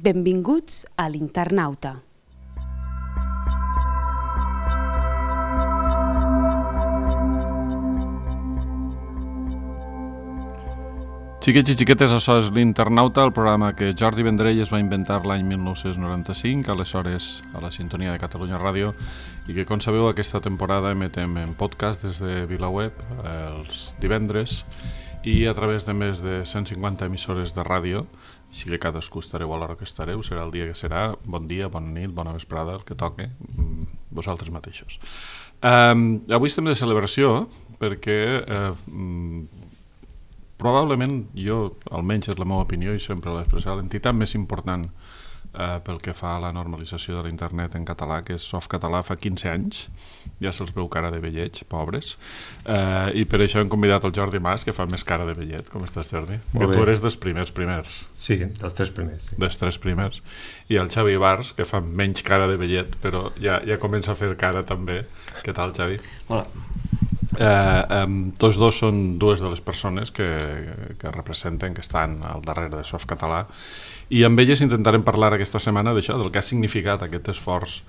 Benvinguts a l'Internauta. Xiquets i xiquetes, això és l'Internauta, el programa que Jordi Vendrell es va inventar l'any 1995, aleshores a la sintonia de Catalunya Ràdio, i que, com sabeu, aquesta temporada emetem en podcast des de VilaWeb els divendres i a través de més de 150 emissores de ràdio, així que cadascú estareu a l'hora que estareu, serà el dia que serà, bon dia, bona nit, bona vesprada, el que toque, vosaltres mateixos. Avui estem de celebració perquè probablement jo, almenys és la meva opinió i sempre l'he expressat, l'entitat més important pel que fa a la normalització de l'internet en català, que és Softcatalà, fa 15 anys, ja se'ls veu cara de vellets, pobres, i per això hem convidat el Jordi Mas, que fa més cara de vellet. Com estàs, Jordi? Que tu eres dels primers. Sí, dels tres primers. Sí. Dels tres primers. I el Xavi Bars, que fa menys cara de vellet, però ja comença a fer cara també. Què tal, Xavi? Hola. Tots dos són dues de les persones que representen, que estan al darrere de Softcatalà, i amb elles intentarem parlar aquesta setmana d'això, del que ha significat aquest esforç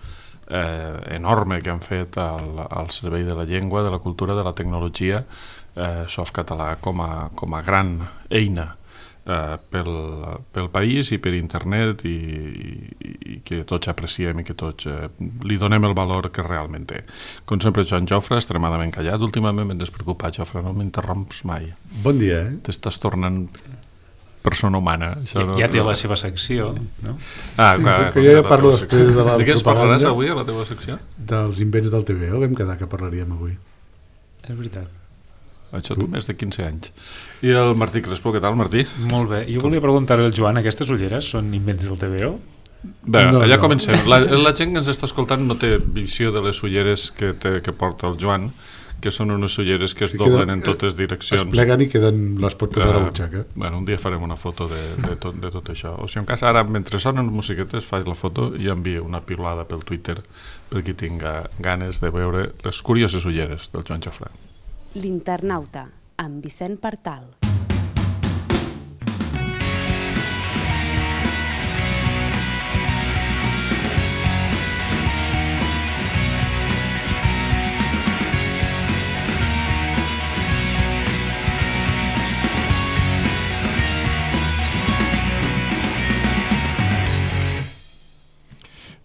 enorme que han fet al servei de la llengua, de la cultura, de la tecnologia, Softcatalà com a gran eina pel país i per internet, i que tots apreciem i que tots li donem el valor que realment té. Com sempre, Joan Jofre, extremadament callat. Últimament m'he despreocupat, Jofre, no m'interromps mai. Bon dia, T'estàs tornant persona humana. Ja té la seva secció, no? Clar, que jo ja parlo després de la propaganda. De què es parlaràs avui a la teva secció? Dels invents del TVO, vam quedar que parlaríem avui. És veritat. Això tu més de 15 anys. I el Martí Crespo, què tal, Martí? Molt bé. Jo volia preguntar-li al Joan, aquestes ulleres són invents del TVO? Bé, allà comencem. La gent que ens està escoltant no té visió de les ulleres que porta el Joan, que són unes ulleres que es doblen en totes direccions. Es pleguen i les pot posar a la butxaca. Bueno, un dia farem una foto de tot això. O sigui, en cas ara, mentre sonen musiquetes, faig la foto i envio una pilada pel Twitter per qui tinga ganes de veure les curioses ulleres del Joan Jofre. L'Internauta, amb Vicent Partal.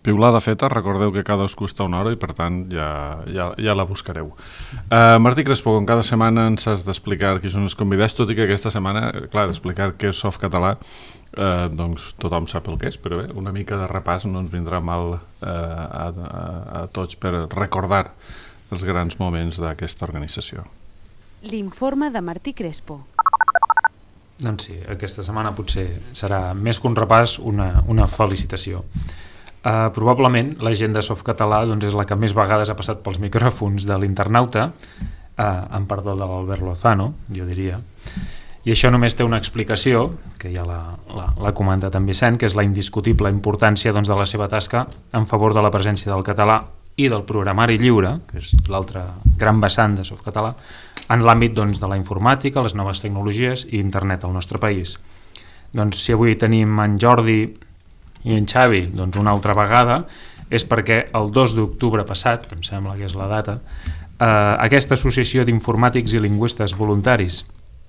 Piulada feta, recordeu que cadascú està una hora i per tant ja la buscareu. Martí Crespo, com cada setmana ens has d'explicar qui són els convidats, tot i que aquesta setmana, clar, explicar què és Softcatalà, doncs tothom sap el que és, però bé, una mica de repàs no ens vindrà mal a tots per recordar els grans moments d'aquesta organització. L'informe de Martí Crespo. Doncs sí, aquesta setmana potser serà més que un repàs, una felicitació. Probablement la gent de Softcatalà és la que més vegades ha passat pels micròfons de l'Internauta, amb perdó de l'Albert Lozano, jo diria, i això només té una explicació, que ja l'ha comentat en Vicent, que és la indiscutible importància de la seva tasca en favor de la presència del català i del programari lliure, que és l'altre gran vessant de Softcatalà, en l'àmbit de la informàtica, les noves tecnologies i internet al nostre país. Doncs si avui tenim en Jordi i en Xavi, una altra vegada, és perquè el 2 d'octubre passat, em sembla que és la data, aquesta associació d'informàtics i lingüistes voluntaris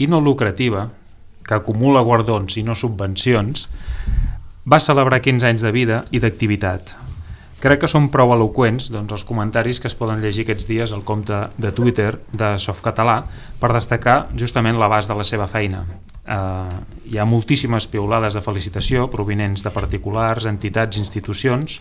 i no lucrativa, que acumula guardons i no subvencions, va celebrar 15 anys de vida i d'activitat. Crec que són prou eloqüents els comentaris que es poden llegir aquests dies al compte de Twitter de Softcatalà per destacar justament l'abast de la seva feina. Hi ha moltíssimes piulades de felicitació provinents de particulars, entitats, institucions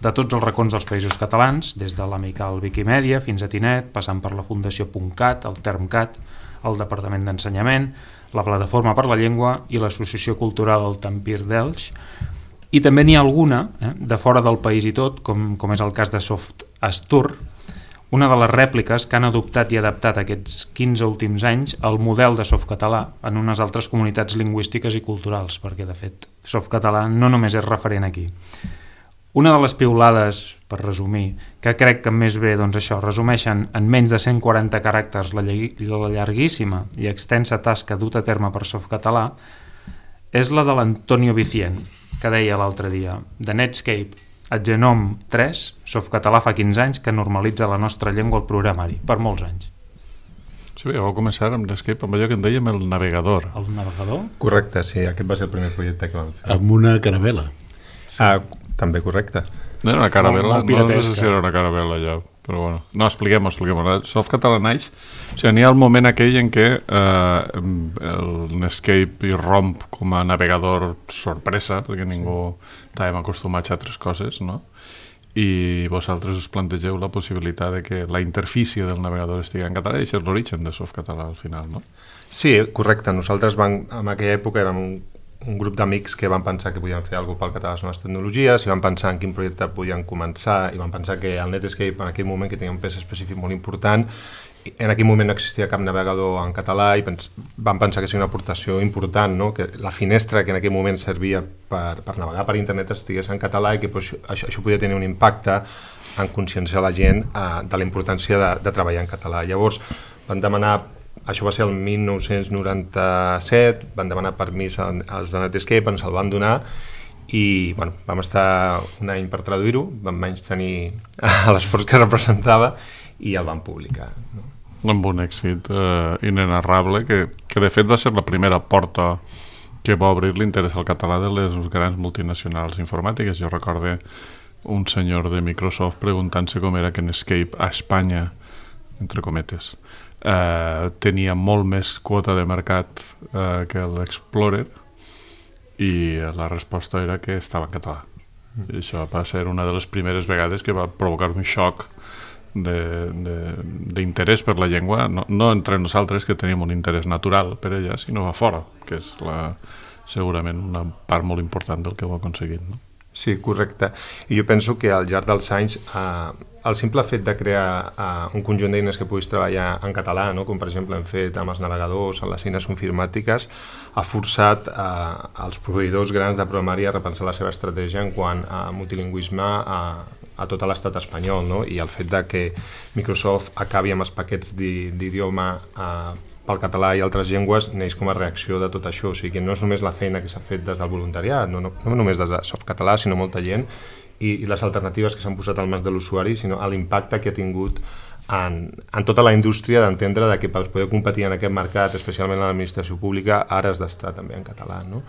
de tots els racons dels països catalans, des de l'Amical Viquimèdia fins a Tinet, passant per la Fundació .cat, el Termcat, el Departament d'Ensenyament, la Plataforma per la Llengua i l'Associació Cultural El Tampir d'Elx. I també n'hi ha alguna de fora del país i tot, com és el cas de Soft Astur, una de les rèpliques que han adoptat i adaptat aquests 15 últims anys el model de Softcatalà en unes altres comunitats lingüístiques i culturals, perquè de fet Softcatalà no només és referent aquí. Una de les piulades, per resumir, que crec que més bé resumeixen en menys de 140 caràcters la llarguíssima i extensa tasca duta a terme per Softcatalà, és la de l'Antonio Vicient, que deia l'altre dia: de Netscape a Genome 3, Softcatalà fa 15 anys que normalitza la nostra llengua al programari, per molts anys. Sí, ja vau començar amb Netscape, amb allò que en dèiem el navegador. El navegador? Correcte, sí, aquest va ser el primer projecte que vam fer. Amb una caravela. Sí. També correcte. No era una caravela, molt no sé si era una caravela allò, però bueno. No, expliquem-ho. Softcatalà naix, o sigui, n'hi ha el moment aquell en què el Netscape irromp com a navegador sorpresa, perquè ningú estàvem acostumats a altres coses, no? I vosaltres us plantegeu la possibilitat de que la interfície del navegador estigui en català, i això és l'origen de Softcatalà al final, no? Sí, correcte. Nosaltres en aquella època érem un grup d'amics que van pensar que podien fer alguna cosa pel català a les noves tecnologies, i van pensar en quin projecte podien començar, i van pensar que el Netscape, en aquell moment, que tenia un pes específic molt important, en aquell moment no existia cap navegador en català, i van pensar que seria una aportació important, no? Que la finestra que en aquell moment servia per navegar per internet estigués en català, i que pues, això podia tenir un impacte en conscienciar la gent de la importància de treballar en català. Llavors van demanar, això va ser el 1997, van demanar permís als de Netscape, ens el van donar, i bueno, vam estar un any per traduir-ho, vam menys tenir l'esforç que representava, i el van publicar, no? Amb un èxit inenarrable, que de fet va ser la primera porta que va obrir l'interès al català de les grans multinacionals informàtiques. Jo recorde un senyor de Microsoft preguntant-se com era que Netscape a Espanya, entre cometes, tenia molt més quota de mercat que l'Explorer, i la resposta era que estava en català. I això va ser una de les primeres vegades que va provocar un xoc d'interès per la llengua, no entre nosaltres, que tenim un interès natural per ella, sinó a fora, que és segurament una part molt important del que heu aconseguit, no? Sí, correcte. I jo penso que al llarg dels anys el simple fet de crear un conjunt d'eines que puguis treballar en català, no? Com per exemple hem fet amb els navegadors, amb les eines informàtiques, ha forçat els proveïdors grans de programari a repensar la seva estratègia en quant a multilingüisme a tot l'estat espanyol, no? I el fet de que Microsoft acabi amb els paquets d'idioma pel català i altres llengües neix com a reacció de tot això. O sigui que no és només la feina que s'ha fet des del voluntariat, no només des de Softcatalà, sinó molta gent, i les alternatives que s'han posat al mas de l'usuari, sinó l'impacte que ha tingut en tota la indústria d'entendre que per poder competir en aquest mercat, especialment en l'administració pública, ara has d'estar també en català, no?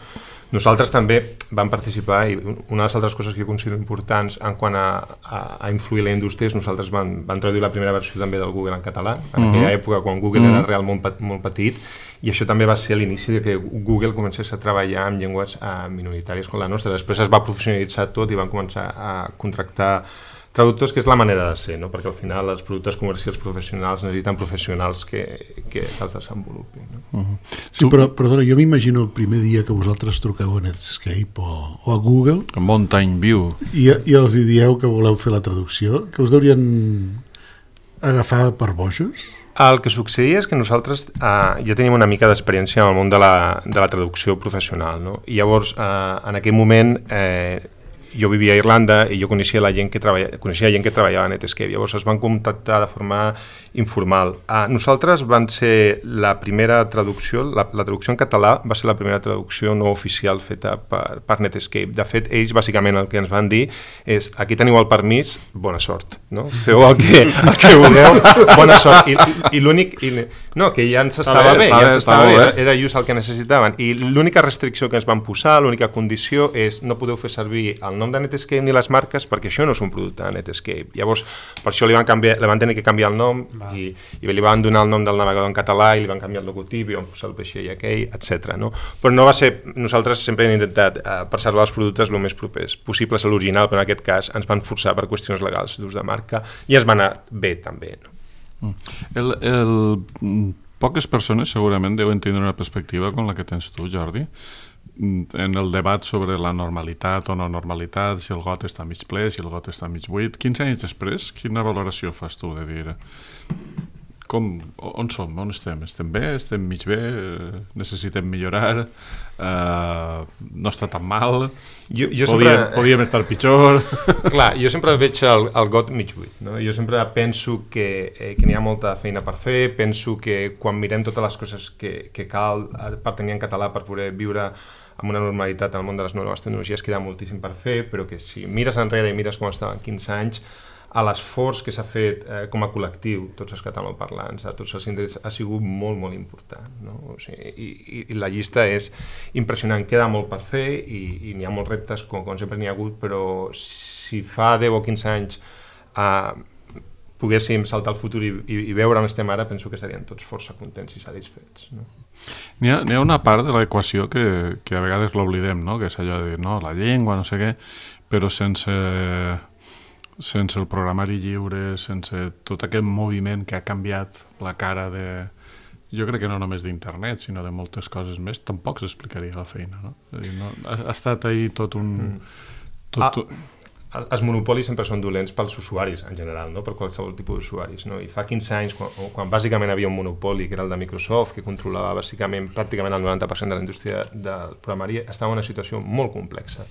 Nosaltres també vam participar, i una de les altres coses que jo considero importants en quant a influir la indústria és nosaltres vam traduir la primera versió també del Google en català, en aquella època quan Google era realment molt petit, i això també va ser l'inici de que Google comencés a treballar amb llengües minoritàries com la nostra. Després es va professionalitzar tot i van començar a contractar traductors, que és la manera de ser, no? Perquè al final els productes comercials professionals necessiten professionals que els desenvolupin, no? Sí, però perdona, jo m'imagino el primer dia que vosaltres truqueu a Netscape o a Google a Mountain View i els dieu que voleu fer la traducció, que us deurien agafar per bojos? El que succeïa és que nosaltres ja teníem una mica d'experiència en el món de la traducció professional, no? I llavors, en aquell moment, jo vivia a Irlanda i jo coneixia gent que treballava a Netscape. Llavors es van contactar de forma informal. Nosaltres van ser la primera traducció, la traducció en català va ser la primera traducció no oficial feta per Netscape. De fet, ells bàsicament el que ens van dir és: aquí teniu el permís, bona sort, no? Feu el que vulgueu, bona sort. I l'únic... No, que ja ens estava bé, era just el que necessitaven. I l'única restricció que ens van posar, l'única condició és: no podeu fer servir el nom de Netscape ni les marques, perquè això no és un producte de Netscape. Llavors, per això li van tenir que canviar el nom, i li van donar el nom del navegador en català i li van canviar el logotip i van posar el vaixell aquell, etc. No? Però no va ser... Nosaltres sempre hem intentat preservar els productes el més propers possibles a l'original, però en aquest cas ens van forçar per qüestions legals d'ús de marca i es va anar bé també, no? Poques persones segurament deuen tenir una perspectiva com la que tens tu, Jordi, en el debat sobre la normalitat o no normalitat, si el got està mig ple, si el got està mig buit. 15 anys després, quina valoració fas tu de dir on som, on estem? Estem bé, estem mig bé, necessitem millorar, no està tan mal, podíem estar pitjor? Clar, jo sempre veig el got mig buit, no? Jo sempre penso que n'hi ha molta feina per fer, penso que quan mirem totes les coses que cal per tenir en català per poder viure amb una normalitat al món de les noves tecnologies queda moltíssim per fer, però que si mires enrere i mires com estaven 15 anys, a l'esforç que s'ha fet com a col·lectiu, tots els catalanoparlants, a tots els indrets, ha sigut molt, molt important. No? O sigui, i la llista és impressionant, queda molt per fer i n'hi ha molts reptes, com sempre n'hi ha hagut, però si fa 10 o 15 anys poguéssim saltar al futur i veure on estem ara, penso que estaríem tots força contents i satisfets. No? N'hi ha una part de l'equació que a vegades l'oblidem, no? Que és allò de la llengua, no sé què, però sense el programari lliure, sense tot aquest moviment que ha canviat la cara de... Jo crec que no només d'internet, sinó de moltes coses més, tampoc s'explicaria la feina, no? És a dir, ha estat ahir tot un... Els monopolis sempre són dolents pels usuaris, en general, no? Per qualsevol tipus d'usuaris. No? I fa 15 anys, quan bàsicament havia un monopoli, que era el de Microsoft, que controlava bàsicament pràcticament el 90% de la indústria del programari, estava en una situació molt complexa.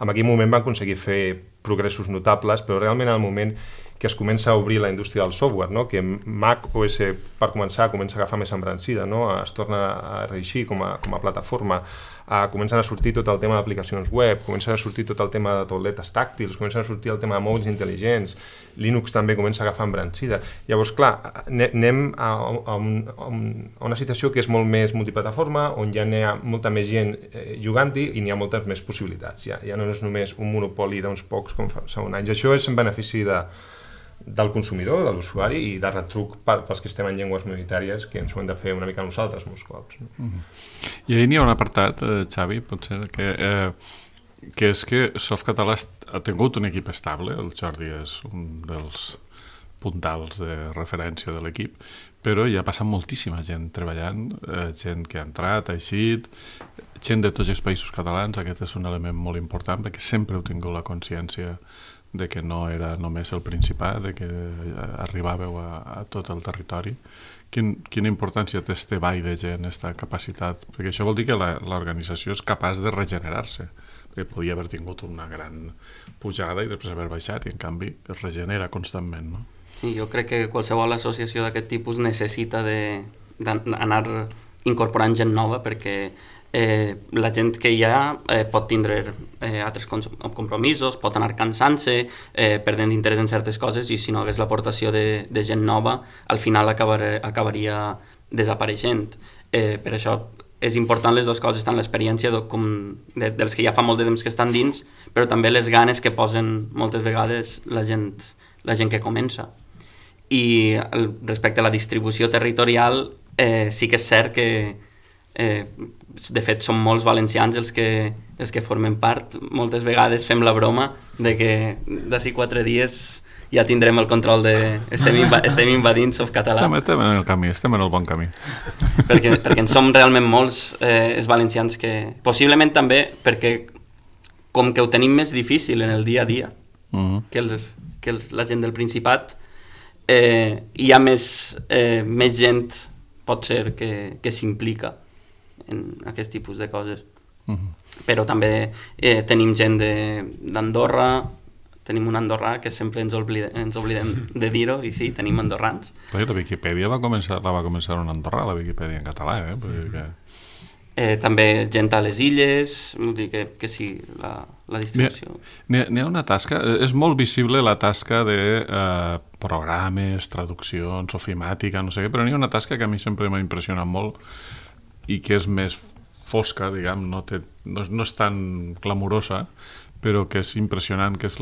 En aquell moment van aconseguir fer progressos notables, però realment en el moment que es comença a obrir la indústria del software, no? Que Mac OS, per començar, comença a agafar més embranzida, no? Es torna a reeixir com a plataforma, comencen a sortir tot el tema d'aplicacions web, comencen a sortir tot el tema de tauletes tàctils, comencen a sortir el tema de mòbils intel·ligents, Linux també comença a agafar embranzida. Llavors, clar, anem a una situació que és molt més multiplataforma, on ja n'hi ha molta més gent jugant-hi i n'hi ha moltes més possibilitats. Ja no és només un monopoli d'uns pocs com fa un anys. Això és en benefici del consumidor, de l'usuari i de retruc pels que estem en llengües minoritàries que ens ho hem de fer una mica nosaltres molts cops. No? I ahir n'hi ha un apartat, Xavi, potser, que és que Softcatalà ha tingut un equip estable, el Jordi és un dels puntals de referència de l'equip, però hi ha passat moltíssima gent treballant, gent que ha entrat, ha eixit, gent de tots els països catalans. Aquest és un element molt important perquè sempre heu tingut la consciència de que no era només el Principat, de que arribàveu a tot el territori. Quina importància té este ball de gent, aquesta capacitat? Perquè això vol dir que l'organització és capaç de regenerar-se, perquè podia haver tingut una gran pujada i després haver baixat, i en canvi es regenera constantment, no? Sí, jo crec que qualsevol associació d'aquest tipus necessita d'anar incorporant gent nova, perquè la gent que hi ha pot tindre altres compromisos, pot anar cansant-se, perdent interès en certes coses, i si no hagués l'aportació de gent nova, al final acabaria desapareixent. Per això és important les dues coses, tant l'experiència dels que ja fa molt de temps que estan dins, però també les ganes que posen moltes vegades la gent que comença. I respecte a la distribució territorial, sí que és cert que de fet són molts valencians els que formen part. Moltes vegades fem la broma de que d'ací 4 dies ja tindrem el control de... Estem invadint Softcatalà. Estem en el camí, estem en el bon camí. Perquè en som realment molts els valencians que... Possiblement també perquè com que ho tenim més difícil en el dia a dia que la gent del Principat, hi ha més gent, pot ser, que s'implica en aquest tipus de coses. Però també tenim gent d'Andorra, tenim un andorrà que sempre ens oblidem de dir-ho, i sí, tenim andorrans. La Viquipèdia va començar un andorrà, la Viquipèdia en català, també gent a les illes, vull dir que sí, la distribució. N'hi ha una tasca, és molt visible la tasca de programes, traduccions, ofimàtica, no sé què, però n'hi ha una tasca que a mi sempre m'ha impressionat molt i que és més fosca, diguem, no és tan clamorosa, però que és impressionant, que és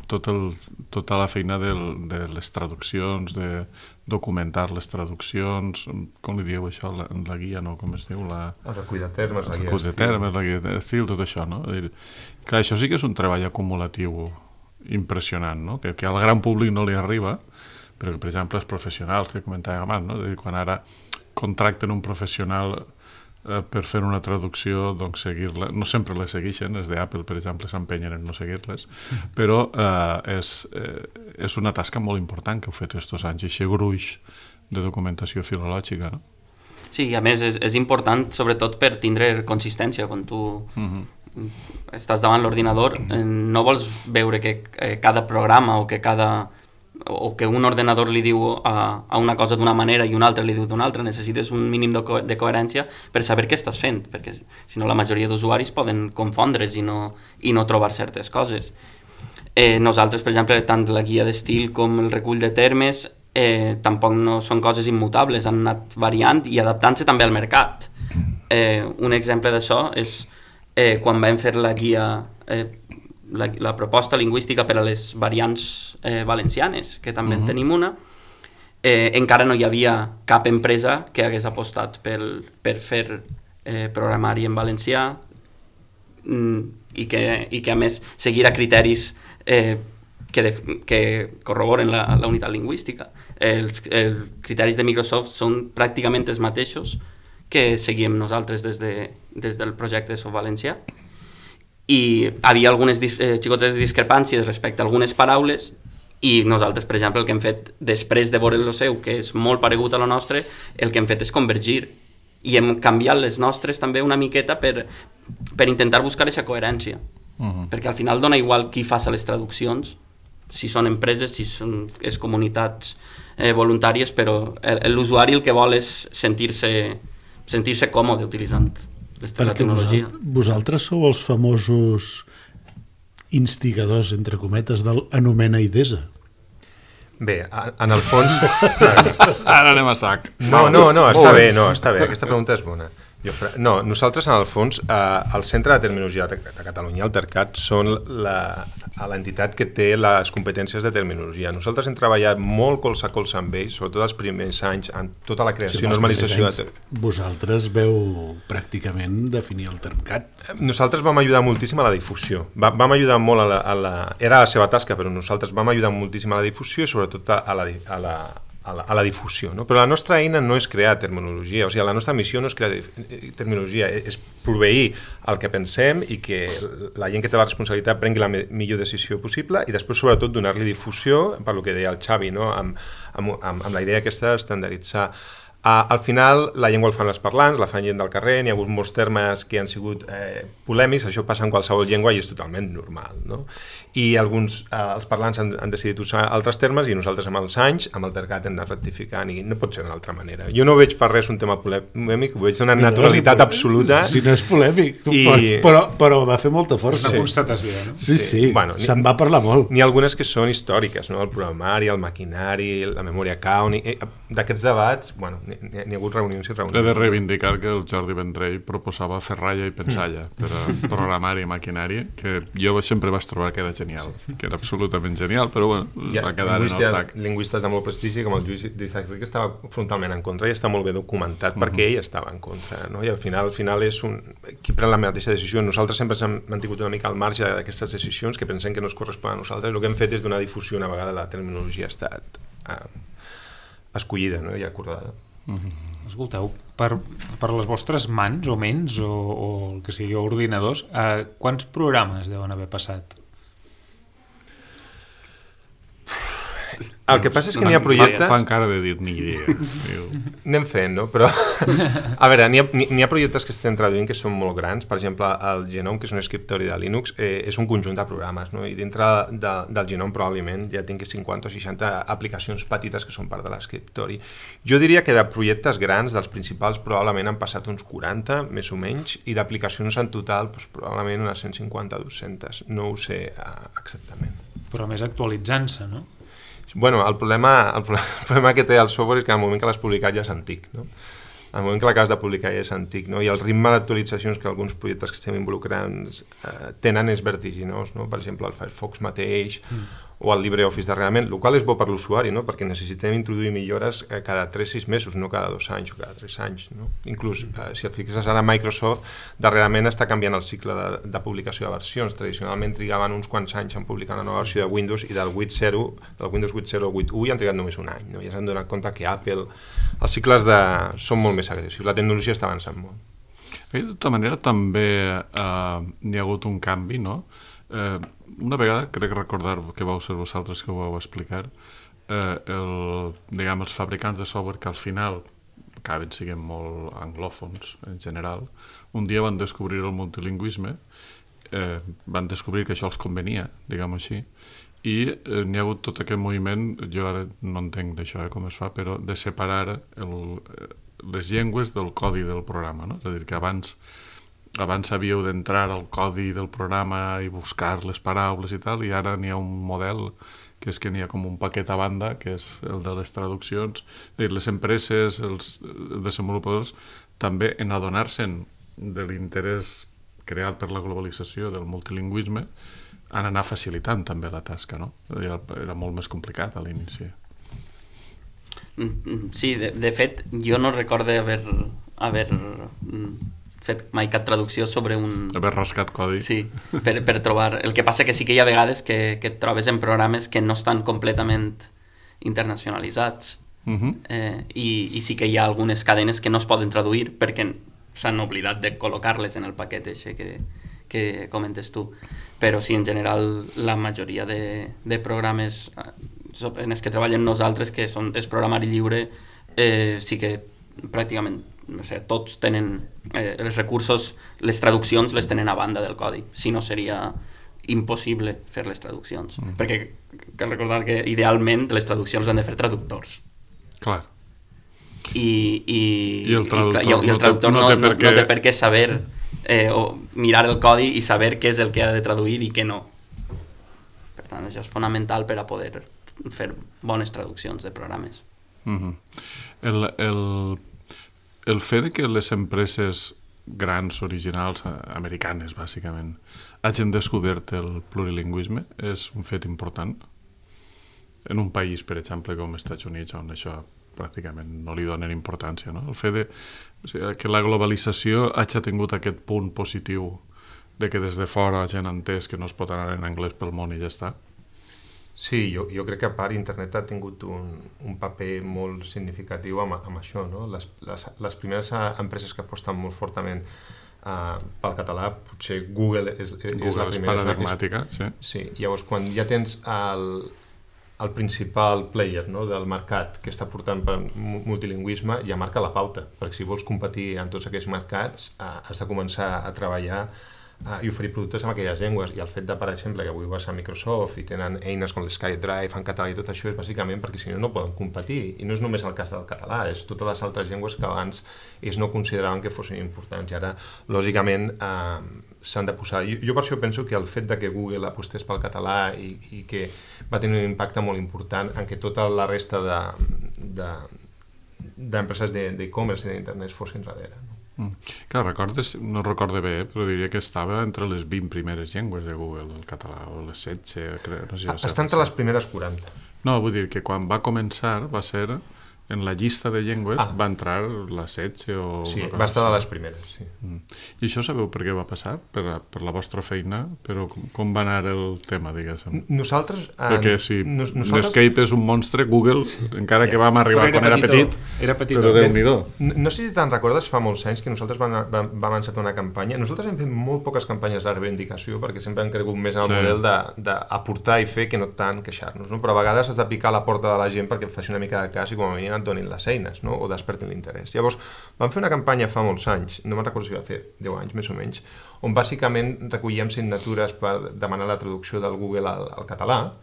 tota la feina de les traduccions, de documentar les traduccions, com li dieu això, la guia, no? Com es diu? El recull de termes, la guia d'estil, tot això, no? Clar, això sí que és un treball acumulatiu impressionant, no? Que al gran públic no li arriba, però que, per exemple, els professionals que comentàvem abans, no? Quan ara contracten un professional per fer una traducció, doncs seguir-la, no sempre les segueixen, les d'Apple, per exemple, s'empenyen en no seguir-les, però és una tasca molt important que heu fet aquests anys, i aquest gruix de documentació filològica, no? Sí, a més és important, sobretot per tindre consistència. Quan tu estàs davant l'ordinador, no vols veure que cada programa o que cada o que un ordenador li diu a una cosa d'una manera i un altre li diu d'una altra. Necessites un mínim de coherència per saber què estàs fent, perquè si no la majoria d'usuaris poden confondre's i no trobar certes coses. Nosaltres, per exemple, tant la guia d'estil com el recull de termes tampoc no són coses immutables, han anat variant i adaptant-se també al mercat. Un exemple d'això és quan vam fer la guia, la proposta lingüística per a les variants valencianes, que també en tenim una, encara no hi havia cap empresa que hagués apostat per fer programari en valencià i que a més seguirà criteris que corroboren la unitat lingüística. Els criteris de Microsoft són pràcticament els mateixos que seguíem nosaltres des del projecte de Soft Valencià, i havia algunes xicotes discrepàncies respecte a algunes paraules, i nosaltres, per exemple, el que hem fet després de veure el seu, que és molt paregut a la nostra, el que hem fet és convergir i hem canviat les nostres també una miqueta per intentar buscar aquesta coherència, perquè al final dona igual qui faça les traduccions, si són empreses, si són comunitats voluntàries, però l'usuari el que vol és sentir-se còmode utilitzant la tecnologia. Vosaltres sou els famosos instigadors, entre cometes, del anomena i desa. Bé, en el fons... Ara anem a sac. No, està bé, aquesta pregunta és bona. No, nosaltres en el fons, el Centre de Terminologia de Catalunya, el TERCAT, són l'entitat que té les competències de terminologia. Nosaltres hem treballat molt colze a colze amb ells, sobretot els primers anys, en tota la creació i normalització. Vosaltres veu pràcticament definir el TERCAT. Nosaltres vam ajudar moltíssim a la difusió. Vam ajudar molt era la seva tasca, però nosaltres vam ajudar moltíssim a la difusió i sobretot a la difusió, no? Però la nostra eina no és crear terminologia, o sigui, la nostra missió no és crear terminologia, és proveir el que pensem i que la gent que té la responsabilitat prengui la millor decisió possible i després sobretot donar-li difusió, per lo que deia el Xavi, no? amb la idea aquesta d'estandarditzar. Al final la llengua el fan els parlants, la fan gent del carrer, n'hi ha hagut molts termes que han sigut polèmics, això passa en qualsevol llengua i és totalment normal, no? I els parlants han decidit usar altres termes i nosaltres amb els anys, amb el TERCAT hem anat rectificant i no pot ser d'una altra manera. Jo no veig per res un tema polèmic, ho veig d'una naturalitat absoluta. Si no és polèmic, però va fer molta força. És una constatació, no? Sí, bueno, se'n va parlar molt. N'hi ha algunes que són històriques, no? El programari, el maquinari, la memòria count, d'aquests debats, bueno, n'hi ha hagut reunions i reunions. He de reivindicar que el Jordi Vendrell proposava ferralla i pensalla per a programari i maquinari, que jo sempre vaig trobar que era genial, que era absolutament genial, però bueno, va quedar en el sac. Lingüistes de molt prestigi, com el Lluís d'Isaac Ric, estava frontalment en contra i està molt bé documentat perquè ell estava en contra, no? I al final és qui pren la mateixa decisió. Nosaltres sempre hem mantingut una mica al marge d'aquestes decisions que pensem que no es corresponen a nosaltres. El que hem fet és donar difusió una vegada la terminologia ha estat escollida, no? I acordada. Escolteu, per les vostres mans o ments o el que sigui ordinadors, quants programes deuen haver passat? El que passa és que n'hi ha projectes... Fan cara de dir ni idea. Anem fent, no? Però, a veure, n'hi ha projectes que estem traduint que són molt grans. Per exemple, el Genome, que és un escriptori de Linux, és un conjunt de programes, no? I dintre del Genome probablement ja tinc 50 o 60 aplicacions petites que són part de l'escriptori. Jo diria que de projectes grans, dels principals, probablement han passat uns 40, més o menys, i d'aplicacions en total, doncs, probablement unes 150 o 200. No ho sé exactament. Però més actualitzant-se, no? Bueno, el problema que té el software és que al moment que l'has publicat ja és antic, no? Al moment que l'acabes de publicar ja és antic, no? I el ritme d'actualitzacions que alguns projectes que estem involucrant tenen és vertiginós, no? Per exemple, el Firefox mateix o el LibreOffice darrerament, el qual és bo per l'usuari, no? Perquè necessitem introduir millores cada 3-6 mesos, no cada 2 anys o cada 3 anys, no? Inclús, si et fixes ara, Microsoft darrerament està canviant el cicle de publicació de versions. Tradicionalment trigaven uns quants anys en publicar una nova versió de Windows i del Windows 8.0 al 8.1 i han trigat només un any, no? Ja s'han donat compte que Apple, els cicles són molt més agressius, la tecnologia està avançant molt. De tota manera també n'hi ha hagut un canvi, no? Una vegada, crec recordar que vau ser vosaltres que ho vau explicar, els fabricants de software que al final acaben sent molt anglòfons en general, un dia van descobrir el multilingüisme, van descobrir que això els convenia, diguem-ho així, i n'hi ha hagut tot aquest moviment, jo ara no entenc d'això com es fa, però de separar les llengües del codi del programa, no? És a dir, que abans havíeu d'entrar al codi del programa i buscar les paraules i tal, i ara n'hi ha un model que és que n'hi ha com un paquet a banda, que és el de les traduccions. És a dir, les empreses, els desenvolupadors, també en adonar-se'n de l'interès creat per la globalització del multilingüisme, han anat facilitant també la tasca, no? Era molt més complicat a l'inici. Sí, de fet, jo no recorde haver fet mai cap traducció sobre un... Haver rascat codi. Sí, per trobar... El que passa que sí que hi ha vegades que et trobes en programes que no estan completament internacionalitzats i sí que hi ha algunes cadenes que no es poden traduir perquè s'han oblidat de col·locar-les en el paquet eixe que comentes tu. Però sí, en general, la majoria de programes en els que treballem nosaltres, que és programari lliure, sí que pràcticament tots tenen els recursos, les traduccions les tenen a banda del codi, si no seria impossible fer les traduccions, perquè cal recordar que idealment les traduccions han de fer traductors. Clar. I el traductor no té per què saber o mirar el codi i saber què és el que ha de traduir i què no. Per tant, això és fonamental per a poder fer bones traduccions de programes. El fet de que les empreses grans, originals, americanes, bàsicament, hagin descobert el plurilingüisme és un fet important. En un país, per exemple, com els Estats Units, on això pràcticament no li donen importància, no? El fet que la globalització hagi tingut aquest punt positiu de que des de fora la gent ha entès que no es pot anar en anglès pel món i ja està. Sí, jo crec que a part internet ha tingut un paper molt significatiu amb això, no? Les primeres empreses que aposten molt fortament pel català, potser Google és la primera. És paradigmàtica, sí. Sí, llavors quan ja tens el principal player, no, del mercat que està portant per multilingüisme, ja marca la pauta, perquè si vols competir en tots aquests mercats has de començar a treballar i oferir productes en aquelles llengües, i el fet de, per exemple, que avui vas a Microsoft i tenen eines com l'SkyDrive en català i tot això és bàsicament perquè si no poden competir, i no és només el cas del català, és totes les altres llengües que abans ells no consideraven que fossin importants i ara, lògicament, s'han de posar. Jo per això penso que el fet de que Google apostés pel català i que va tenir un impacte molt important en que tota la resta d'empreses d'e-commerce i d'internet fossin darrere, no? Clar, no recordo bé, però diria que estava entre les 20 primeres llengües de Google, el català, o les 16, no sé. Està entre les primeres 40. No, vull dir que quan va començar va ser, en la llista de llengües, va entrar la 16 o... Sí, va estar de les primeres, sí. I això sabeu per què va passar? Per la vostra feina? Però com va anar el tema, diguéssim? Nosaltres... Perquè si Netscape és un monstre, Google, encara que vam arribar quan era petit, però Déu-n'hi-do. No sé si te'n recordes, fa molts anys que nosaltres vam encetar una campanya. Nosaltres hem fet molt poques campanyes de reivindicació perquè sempre hem cregut més en el model d'aportar i fer que no tant queixar-nos, no? Però a vegades has de picar a la porta de la gent perquè et faci una mica de cas i com a mínim et donin les eines, no? O despertin l'interès. Llavors, vam fer una campanya fa molts anys, no me'n recordo si va fer 10 anys més o menys, on bàsicament recollíem signatures per demanar la traducció del Google al català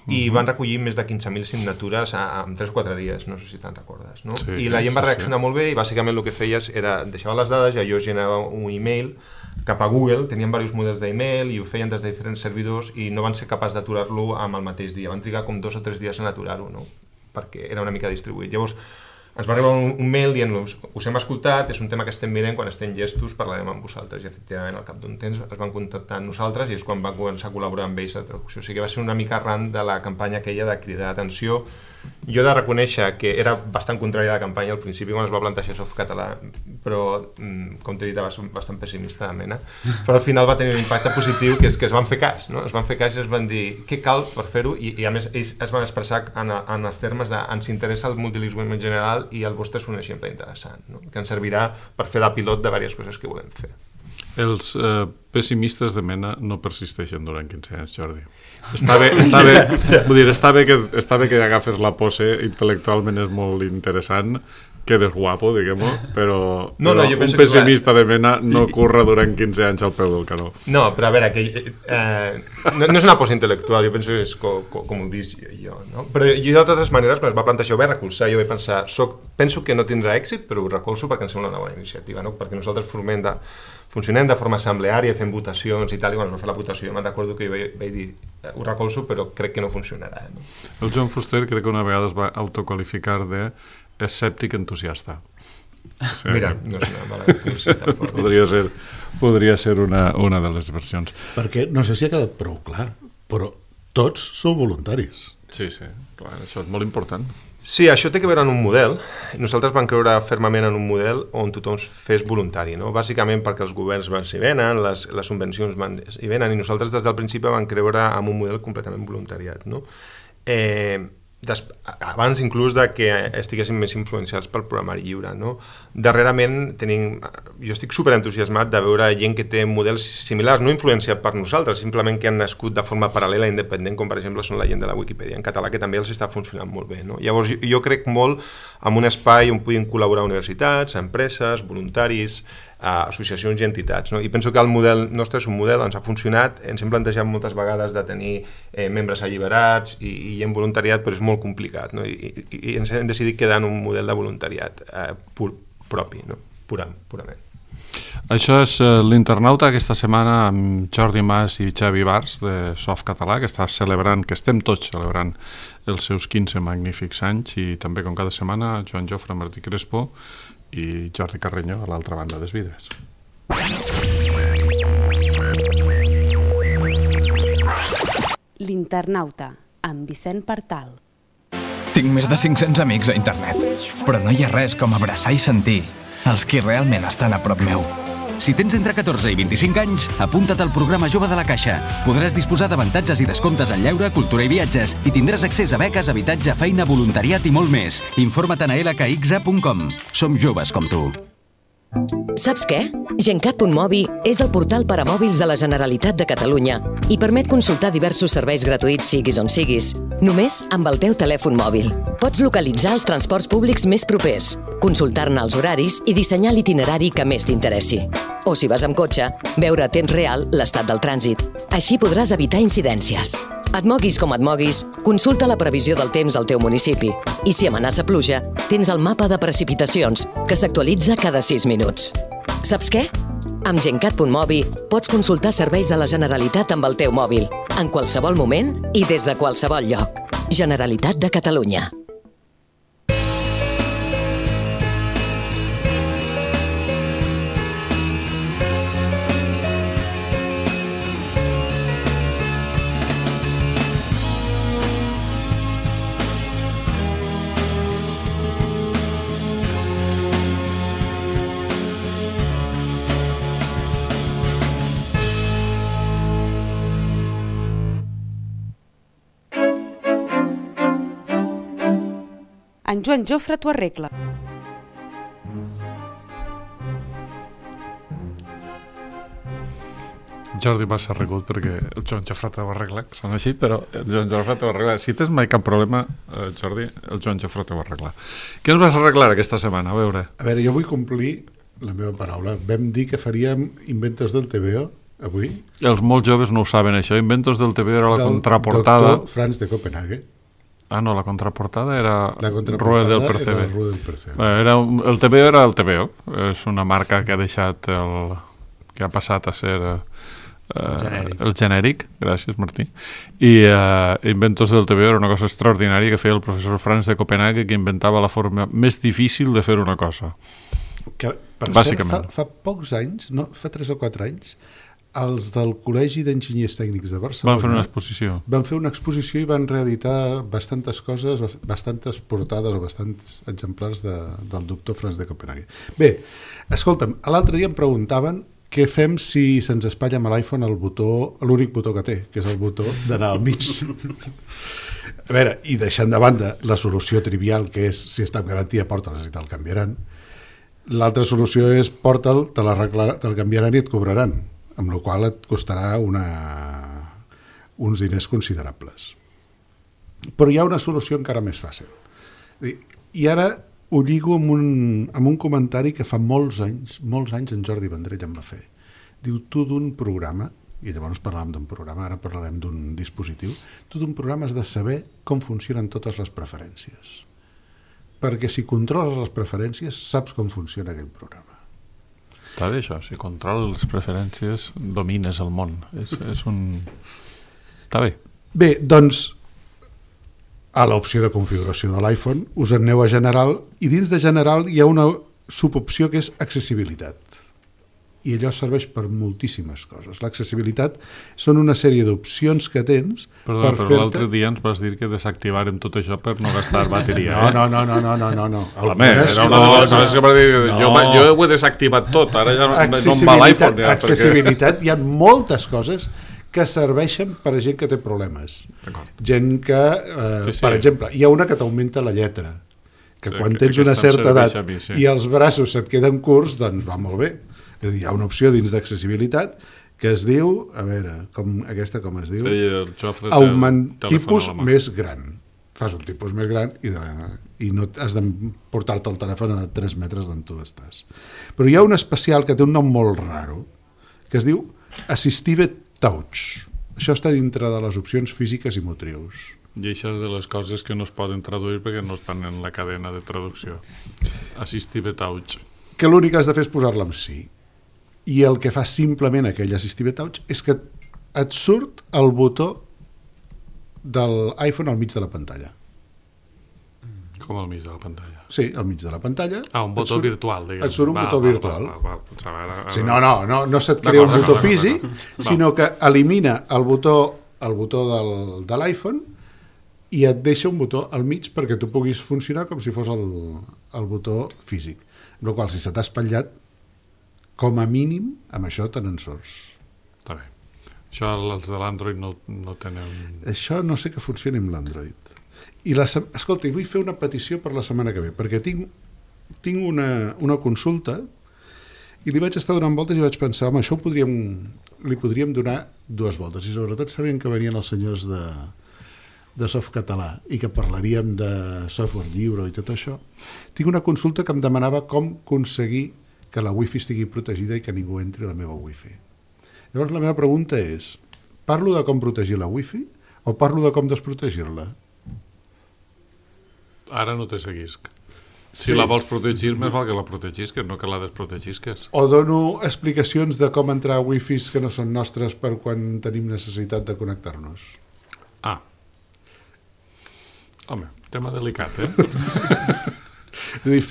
i van recollir més de 15.000 signatures en 3 o 4 dies, no sé si te'n recordes, no? I la gent va reaccionar molt bé i bàsicament el que feies era deixava les dades i allò generava un email cap a Google, tenien diversos models d'email i ho feien des de diferents servidors i no van ser capaços d'aturar-lo amb el mateix dia, van trigar com 2 o 3 dies en aturar-ho, no? Perquè era una mica distribuït. Llavors, ens va arribar un mail dient-nos us hem escoltat, és un tema que estem mirant, quan estem llestos parlarem amb vosaltres, i efectivament al cap d'un temps es van contactar amb nosaltres i és quan van començar a col·laborar amb ells a traducció. O sigui que va ser una mica arran de la campanya aquella de cridar atenció. Jo he de reconèixer que era bastant contrari a la campanya al principi quan es va plantejar Softcatalà, però com t'he dit bastant pessimista de mena, però al final va tenir un impacte positiu que és que es van fer cas, no? Es van fer cas i es van dir què cal per fer-ho i a més ells es van expressar en els termes de ens interessa el multilingüisme en general i el vostre és un exemple interessant, no? Que ens servirà per fer de pilot de diverses coses que volem fer. Els pessimistes de mena no persisteixen durant 15 anys, Jordi. Està bé que agafes la pose, intel·lectualment és molt interessant, quedes guapo, diguem-ho, però jo un penso pessimista de mena no curra durant 15 anys al peu del canó. No, però a veure, no és una posa intel·lectual, jo penso que és com ho he vist jo, no? Però jo de totes maneres, quan es va plantejar, ho vaig recolzar, jo vaig pensar, penso que no tindrà èxit, però ho recolzo perquè em sembla una bona iniciativa, no? Perquè nosaltres funcionem de forma assembleària, fem votacions i tal, i quan es va fer la votació jo me'n recordo que jo vaig dir, ho recolzo, però crec que no funcionarà. No? El Joan Fuster crec que una vegada es va autoqualificar de escèptic entusiasta. Sí. Mira, no és una mala definició tampoc. Podria ser una de les versions. Perquè no sé si ha quedat prou clar, però tots sou voluntaris. Sí, clar, això és molt important. Sí, això té que veure en un model. Nosaltres vam creure fermament en un model on tothom fes voluntari, no? Bàsicament perquè els governs s'hi venen, les subvencions s'hi venen, i nosaltres des del principi vam creure en un model completament voluntariat, no? Abans inclús de que estiguéssim més influenciats pel programari lliure, no? Darrerament jo estic superentusiasmat de veure gent que té models similars, no influenciat per nosaltres, simplement que han nascut de forma paral·lela i independent, com per exemple són la gent de la Wikipedia en català, que també els està funcionant molt bé, no? Llavors jo crec molt en un espai on puguin col·laborar universitats, empreses, voluntaris, associacions i entitats, no? I penso que el model nostre és un model, ens ha funcionat, ens hem plantejat moltes vegades de tenir membres alliberats i en voluntariat, però és molt complicat, no? I ens hem decidit quedar en un model de voluntariat propi, no? Purament. Això és l'Internauta aquesta setmana amb Jordi Mas i Xavi Bars de Softcatalà, que estem tots celebrant els seus 15 magnífics anys, i també com cada setmana Joan Jofre, Martí Crespo i Jordi Carreño a l'altra banda dels vidres. L'Internauta, amb Vicent Partal. Tinc més de 500 amics a internet, però no hi ha res com abraçar i sentir els qui realment estan a prop meu. Si tens entre 14 i 25 anys, apunta't al programa Jove de la Caixa. Podràs disposar d'avantatges i descomptes en lleure, cultura i viatges i tindràs accés a beques, habitatge, feina, voluntariat i molt més. Informa't a lkxa.com. Som joves com tu. Saps què? Gencat.mobi és el portal per a mòbils de la Generalitat de Catalunya i permet consultar diversos serveis gratuïts siguis on siguis, només amb el teu telèfon mòbil. Pots localitzar els transports públics més propers, consultar-ne els horaris i dissenyar l'itinerari que més t'interessi. O si vas amb cotxe, veure a temps real l'estat del trànsit. Així podràs evitar incidències. Et moguis com et moguis, consulta la previsió del temps al teu municipi. I si amenaça pluja, tens el mapa de precipitacions, que s'actualitza cada 6 minuts. Saps què? Amb Gencat.mobi pots consultar serveis de la Generalitat amb el teu mòbil, en qualsevol moment i des de qualsevol lloc. Generalitat de Catalunya. En Joan Jofre t'ho arregla. Jordi Mas s'ha arreglat perquè el Joan Jofre t'ho arregla, són així, però el Joan Jofre t'ho arregla. Si tens mai cap problema, Jordi, el Joan Jofre t'ho arregla. Què ens vas arreglar aquesta setmana? A veure, jo vull complir la meva paraula. Vam dir que faríem Inventos del TVO avui. Els molt joves no ho saben, això. Inventos del TVO era la contraportada. Del doctor Franz de Copenhague. Ah, no, la contraportada era Rueda del Percebe. El TVO era el TVO. És una marca que ha deixat que ha passat a ser el genèric. Gràcies, Martí. I Inventos del TVO era una cosa extraordinària que feia el professor Franz de Copenhague, que inventava la forma més difícil de fer una cosa. Que, per bàsicament. Fa pocs anys, no, fa 3 o 4 anys, els del Col·legi d'Enginyers Tècnics de Barcelona van fer una exposició i van reeditar bastantes coses, bastantes portades o bastants exemplars del doctor Franz de Copenhague. Bé, escolta'm, l'altre dia em preguntaven què fem si se'ns espatlla amb l'iPhone l'únic botó que té, que és el botó d'anar al mig. A veure, i deixant de banda la solució trivial, que és si està amb garantia, porta'ls i te'l canviaran. L'altra solució és porta'l, te'l canviaran i et cobraran, amb la qual et costarà uns diners considerables. Però hi ha una solució encara més fàcil. I ara ho lligo amb un comentari que fa molts anys en Jordi Vendrell em va fer. Diu, tu d'un programa, i llavors parlàvem d'un programa, ara parlarem d'un dispositiu, tu d'un programa has de saber com funcionen totes les preferències. Perquè si controles les preferències, saps com funciona aquell programa. Està bé això, si controles les preferències, domines el món. És un... Està bé. Bé, doncs, a l'opció de configuració de l'iPhone us en aneu a General i dins de General hi ha una subopció que és accessibilitat. I allò serveix per moltíssimes coses. L'accessibilitat són una sèrie d'opcions que tens però l'altre dia ens vas dir que desactivàrem tot això per no gastar bateria. No. Home, era una de les coses que va dir, jo ho he desactivat tot, ara ja no em va l'iPhone. Accessibilitat, hi ha moltes coses que serveixen per a gent que té problemes. Gent que, per exemple, hi ha una que t'augmenta la lletra, que quan tens una certa edat i els braços se't queden curts, doncs va molt bé. Hi ha una opció dins d'accessibilitat que es diu, a veure, aquesta com es diu? Tipus més gran. Fas un tipus més gran i no has de portar-te el telèfon a 3 metres d'on tu estàs. Però hi ha un especial que té un nom molt raro, que es diu Assistive Touch. Això està dintre de les opcions físiques i motrius. I això és de les coses que no es poden traduir perquè no estan en la cadena de traducció. Assistive Touch. Que l'únic que has de fer és posar-la amb sí. I el que fa simplement aquell Assistive Touch és que et surt el botó de l'iPhone al mig de la pantalla. Com al mig de la pantalla? Sí, al mig de la pantalla. Un botó virtual, diguem. Et surt un botó virtual. Sí, no se't crea un botó físic, sinó que elimina el botó de l'iPhone i et deixa un botó al mig perquè tu puguis funcionar com si fos el botó físic. Amb la qual cosa, si se t'ha espatllat, com a mínim, amb això te n'en surts. Està bé. Això els de l'Android no tenen... Això no sé que funcioni amb l'Android. Escolta, i vull fer una petició per la setmana que ve, perquè tinc una consulta i li vaig estar donant voltes i vaig pensar, home, això li podríem donar 2 voltes, i sobretot sabien que venien els senyors de Softcatalà i que parlaríem de software lliure i tot això. Tinc una consulta que em demanava com aconseguir que la wifi estigui protegida i que ningú entri a la meva wifi. Llavors la meva pregunta és, parlo de com protegir la wifi o parlo de com desprotegir-la? Ara no te seguisc. Si la vols protegir, més val que la protegisques, no que la desprotegisques. O dono explicacions de com entrar a wifis que no són nostres per quan tenim necessitat de connectar-nos. Home, tema delicat, eh? És a dir,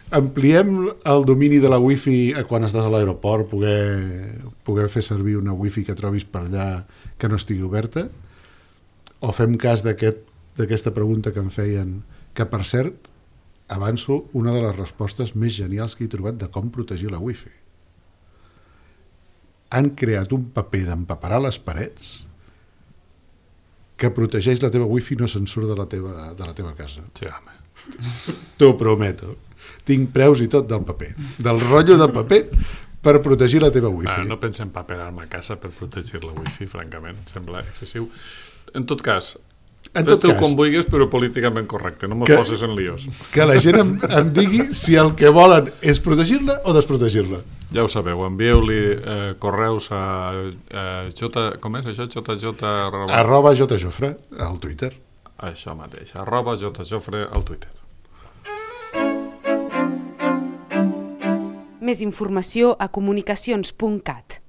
ampliem el domini de la wifi quan estàs a l'aeroport, poder fer servir una wifi que trobis per allà que no estigui oberta, o fem cas d'aquesta pregunta que em feien, que per cert, avanço una de les respostes més genials que he trobat de com protegir la wifi. Han creat un paper d'empaperar les parets que protegeix la teva wifi i no se'n surt de la teva casa. Sí, home. T'ho prometo. Tinc preus i tot del paper, del rotllo de paper per protegir la teva wifi. No penso en paperar-me a casa per protegir la wifi, francament, sembla excessiu. En tot cas, fes-te-ho com vulguis, però políticament correcte, no me'l poses en líos. Que la gent em digui si el que volen és protegir-la o desprotegir-la. Ja ho sabeu, envieu-li correus a com és això? @jjofre al Twitter. Això mateix, @jjofre al Twitter. Més informació a comunicacions.cat.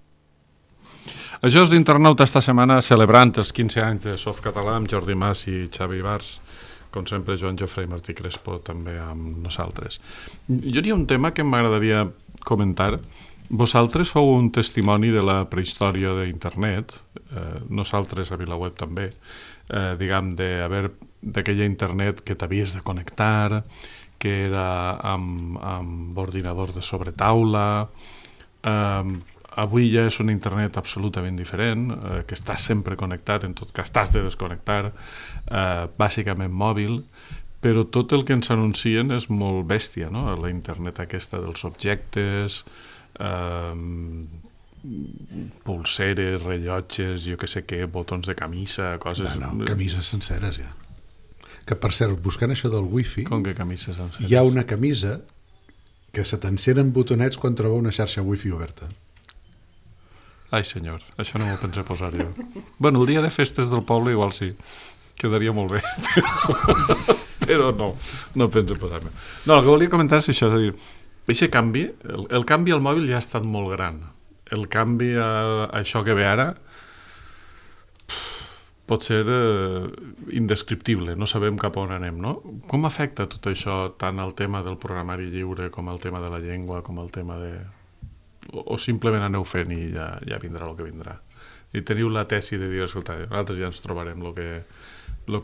Això és l'Internauta esta setmana celebrant els 15 anys de Softcatalà amb Jordi Mas i Xavi Bars, com sempre Joan Jofre i Martí Crespo també amb nosaltres. Jo hi ha un tema que m'agradaria comentar. Vosaltres sou un testimoni de la prehistòria d'internet, nosaltres a VilaWeb també, diguem, d'aquella internet que t'havies de connectar, que era amb ordinador de sobretaula. Avui ja és un internet absolutament diferent, que està sempre connectat, en tot cas t'has de desconnectar, bàsicament mòbil, però tot el que ens anuncien és molt bèstia, no? La internet aquesta dels objectes, pulseres, rellotges, jo què sé què, botons de camisa, coses... No, camises senceres ja. que per cert, buscant això del wifi, Com que camises encetes? hi ha una camisa que se t'encenen botonets quan troba una xarxa wifi oberta. Ai, senyor, això no m'ho pensé posar jo. Bueno, el dia de festes del poble igual sí, quedaria molt bé, però no penso posar-me. No, el que volia comentar és això, és a dir, aquest canvi, el canvi al mòbil ja ha estat molt gran. El canvi a això que ve ara pot ser indescriptible, no sabem cap on anem, no? Com afecta tot això tant al tema del programari lliure com al tema de la llengua, com al tema de... O simplement aneu fent i ja vindrà el que vindrà? I teniu la tesi de dir, escolta, nosaltres ja ens trobarem el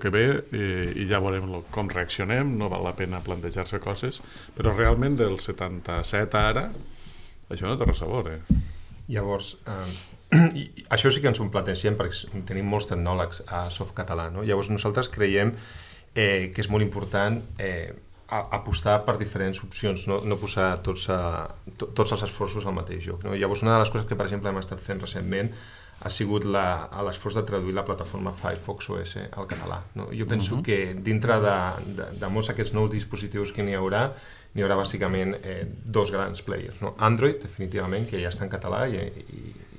que ve i ja veurem com reaccionem, no val la pena plantejar-se coses, però realment del 77 a ara això no té res a veure. Llavors, això sí que ens ho plantegem perquè tenim molts tecnòlegs a Softcatalà, no? Llavors nosaltres creiem que és molt important apostar per diferents opcions, no posar tots els esforços al mateix lloc, no? Llavors una de les coses que per exemple hem estat fent recentment ha sigut l'esforç de traduir la plataforma Firefox OS al català, no? Jo penso que dintre de molts d'aquests nous dispositius que n'hi haurà bàsicament dos grans players, no? Android, definitivament, que ja està en català i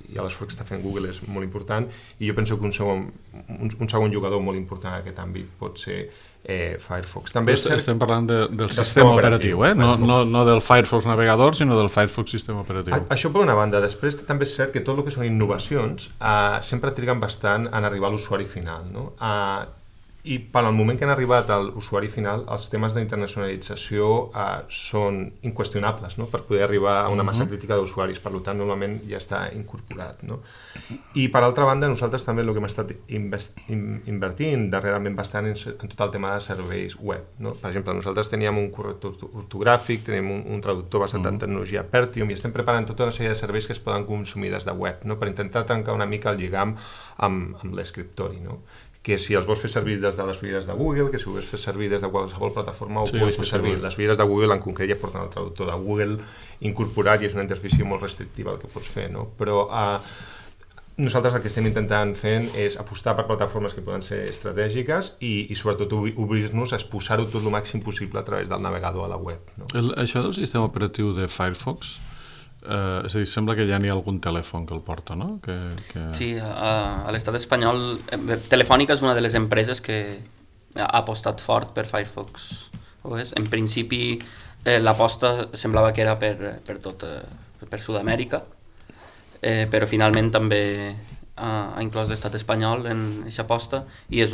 l'esforç que està fent Google és molt important, i jo penso que un segon jugador molt important en aquest àmbit pot ser Firefox. També estem parlant del sistema operatiu, no del Firefox navegador, sinó del Firefox sistema operatiu. Això per una banda. Després també és cert que tot el que són innovacions sempre triguen bastant en arribar a l'usuari final, no? I per al moment que han arribat a l'usuari final, els temes d'internacionalització són inqüestionables, no? Per poder arribar a una massa crítica d'usuaris, per tant, normalment ja està incorporat, no? I per altra banda, nosaltres també el que hem estat invertint darrerament bastant en tot el tema de serveis web, no? Per exemple, nosaltres teníem un corrector ortogràfic, tenim un traductor basat en tecnologia Pertium, i estem preparant tota una sèrie de serveis que es poden consumir des de web, no? Per intentar tancar una mica el lligam amb l'escriptori, no? Que si els vols fer servir des de les ulleres de Google, que si ho vols fer servir des de qualsevol plataforma, ho puguis fer servir. Les ulleres de Google en concret ja porten el traductor de Google incorporat i és una interfície molt restrictiva el que pots fer, no? Però nosaltres el que estem intentant fent és apostar per plataformes que poden ser estratègiques i sobretot obrir-nos a exposar-ho tot el màxim possible a través del navegador a la web, no? Això del sistema operatiu de Firefox, és a dir, sembla que ja n'hi ha algun telèfon que el porta, no? Sí, a l'estat espanyol Telefònica és una de les empreses que ha apostat fort per Firefox OS. En principi l'aposta semblava que era per Sud-amèrica, però finalment també ha inclòs l'estat espanyol en aquesta aposta, i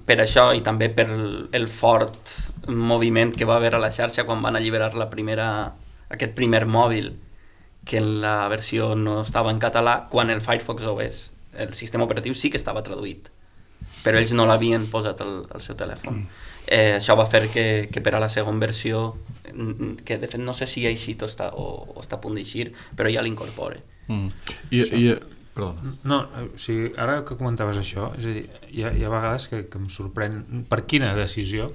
per això i també per el fort moviment que va haver a la xarxa quan van alliberar aquest primer mòbil, que en la versió no estava en català, quan el Firefox OS, el sistema operatiu, sí que estava traduït, però ells no l'havien posat al seu telèfon. Això va fer que per a la segona versió, que de fet no sé si ha eixit o està a punt d'eixir, però ja l'incorpora. Perdona. No, o sigui, ara que comentaves això, és a dir, hi ha vegades que em sorprèn per quina decisió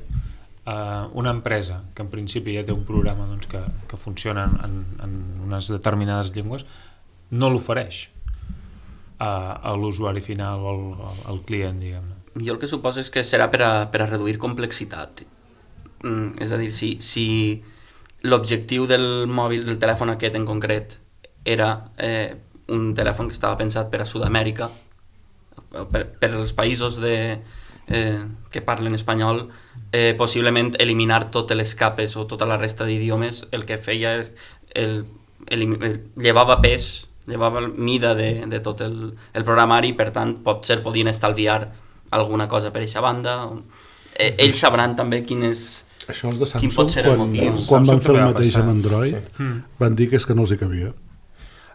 una empresa que en principi ja té un programa doncs, que funciona en unes determinades llengües no l'ofereix a l'usuari final o al client, diguem-ne. Jo el que suposo és que serà per a reduir complexitat. És a dir, si l'objectiu del mòbil, del telèfon aquest en concret, era un telèfon que estava pensat per a Sud-amèrica, per als països que parlen espanyol, possiblement eliminar totes les capes o tota la resta d'idiomes el que feia llevava pes, llevava mida de tot el programari, i per tant potser podien estalviar alguna cosa per aquesta banda. Ells sabran també quin això els de Samsung, pot ser el motiu. Quan van fer el mateix amb Android, van dir que és que no els hi cabia.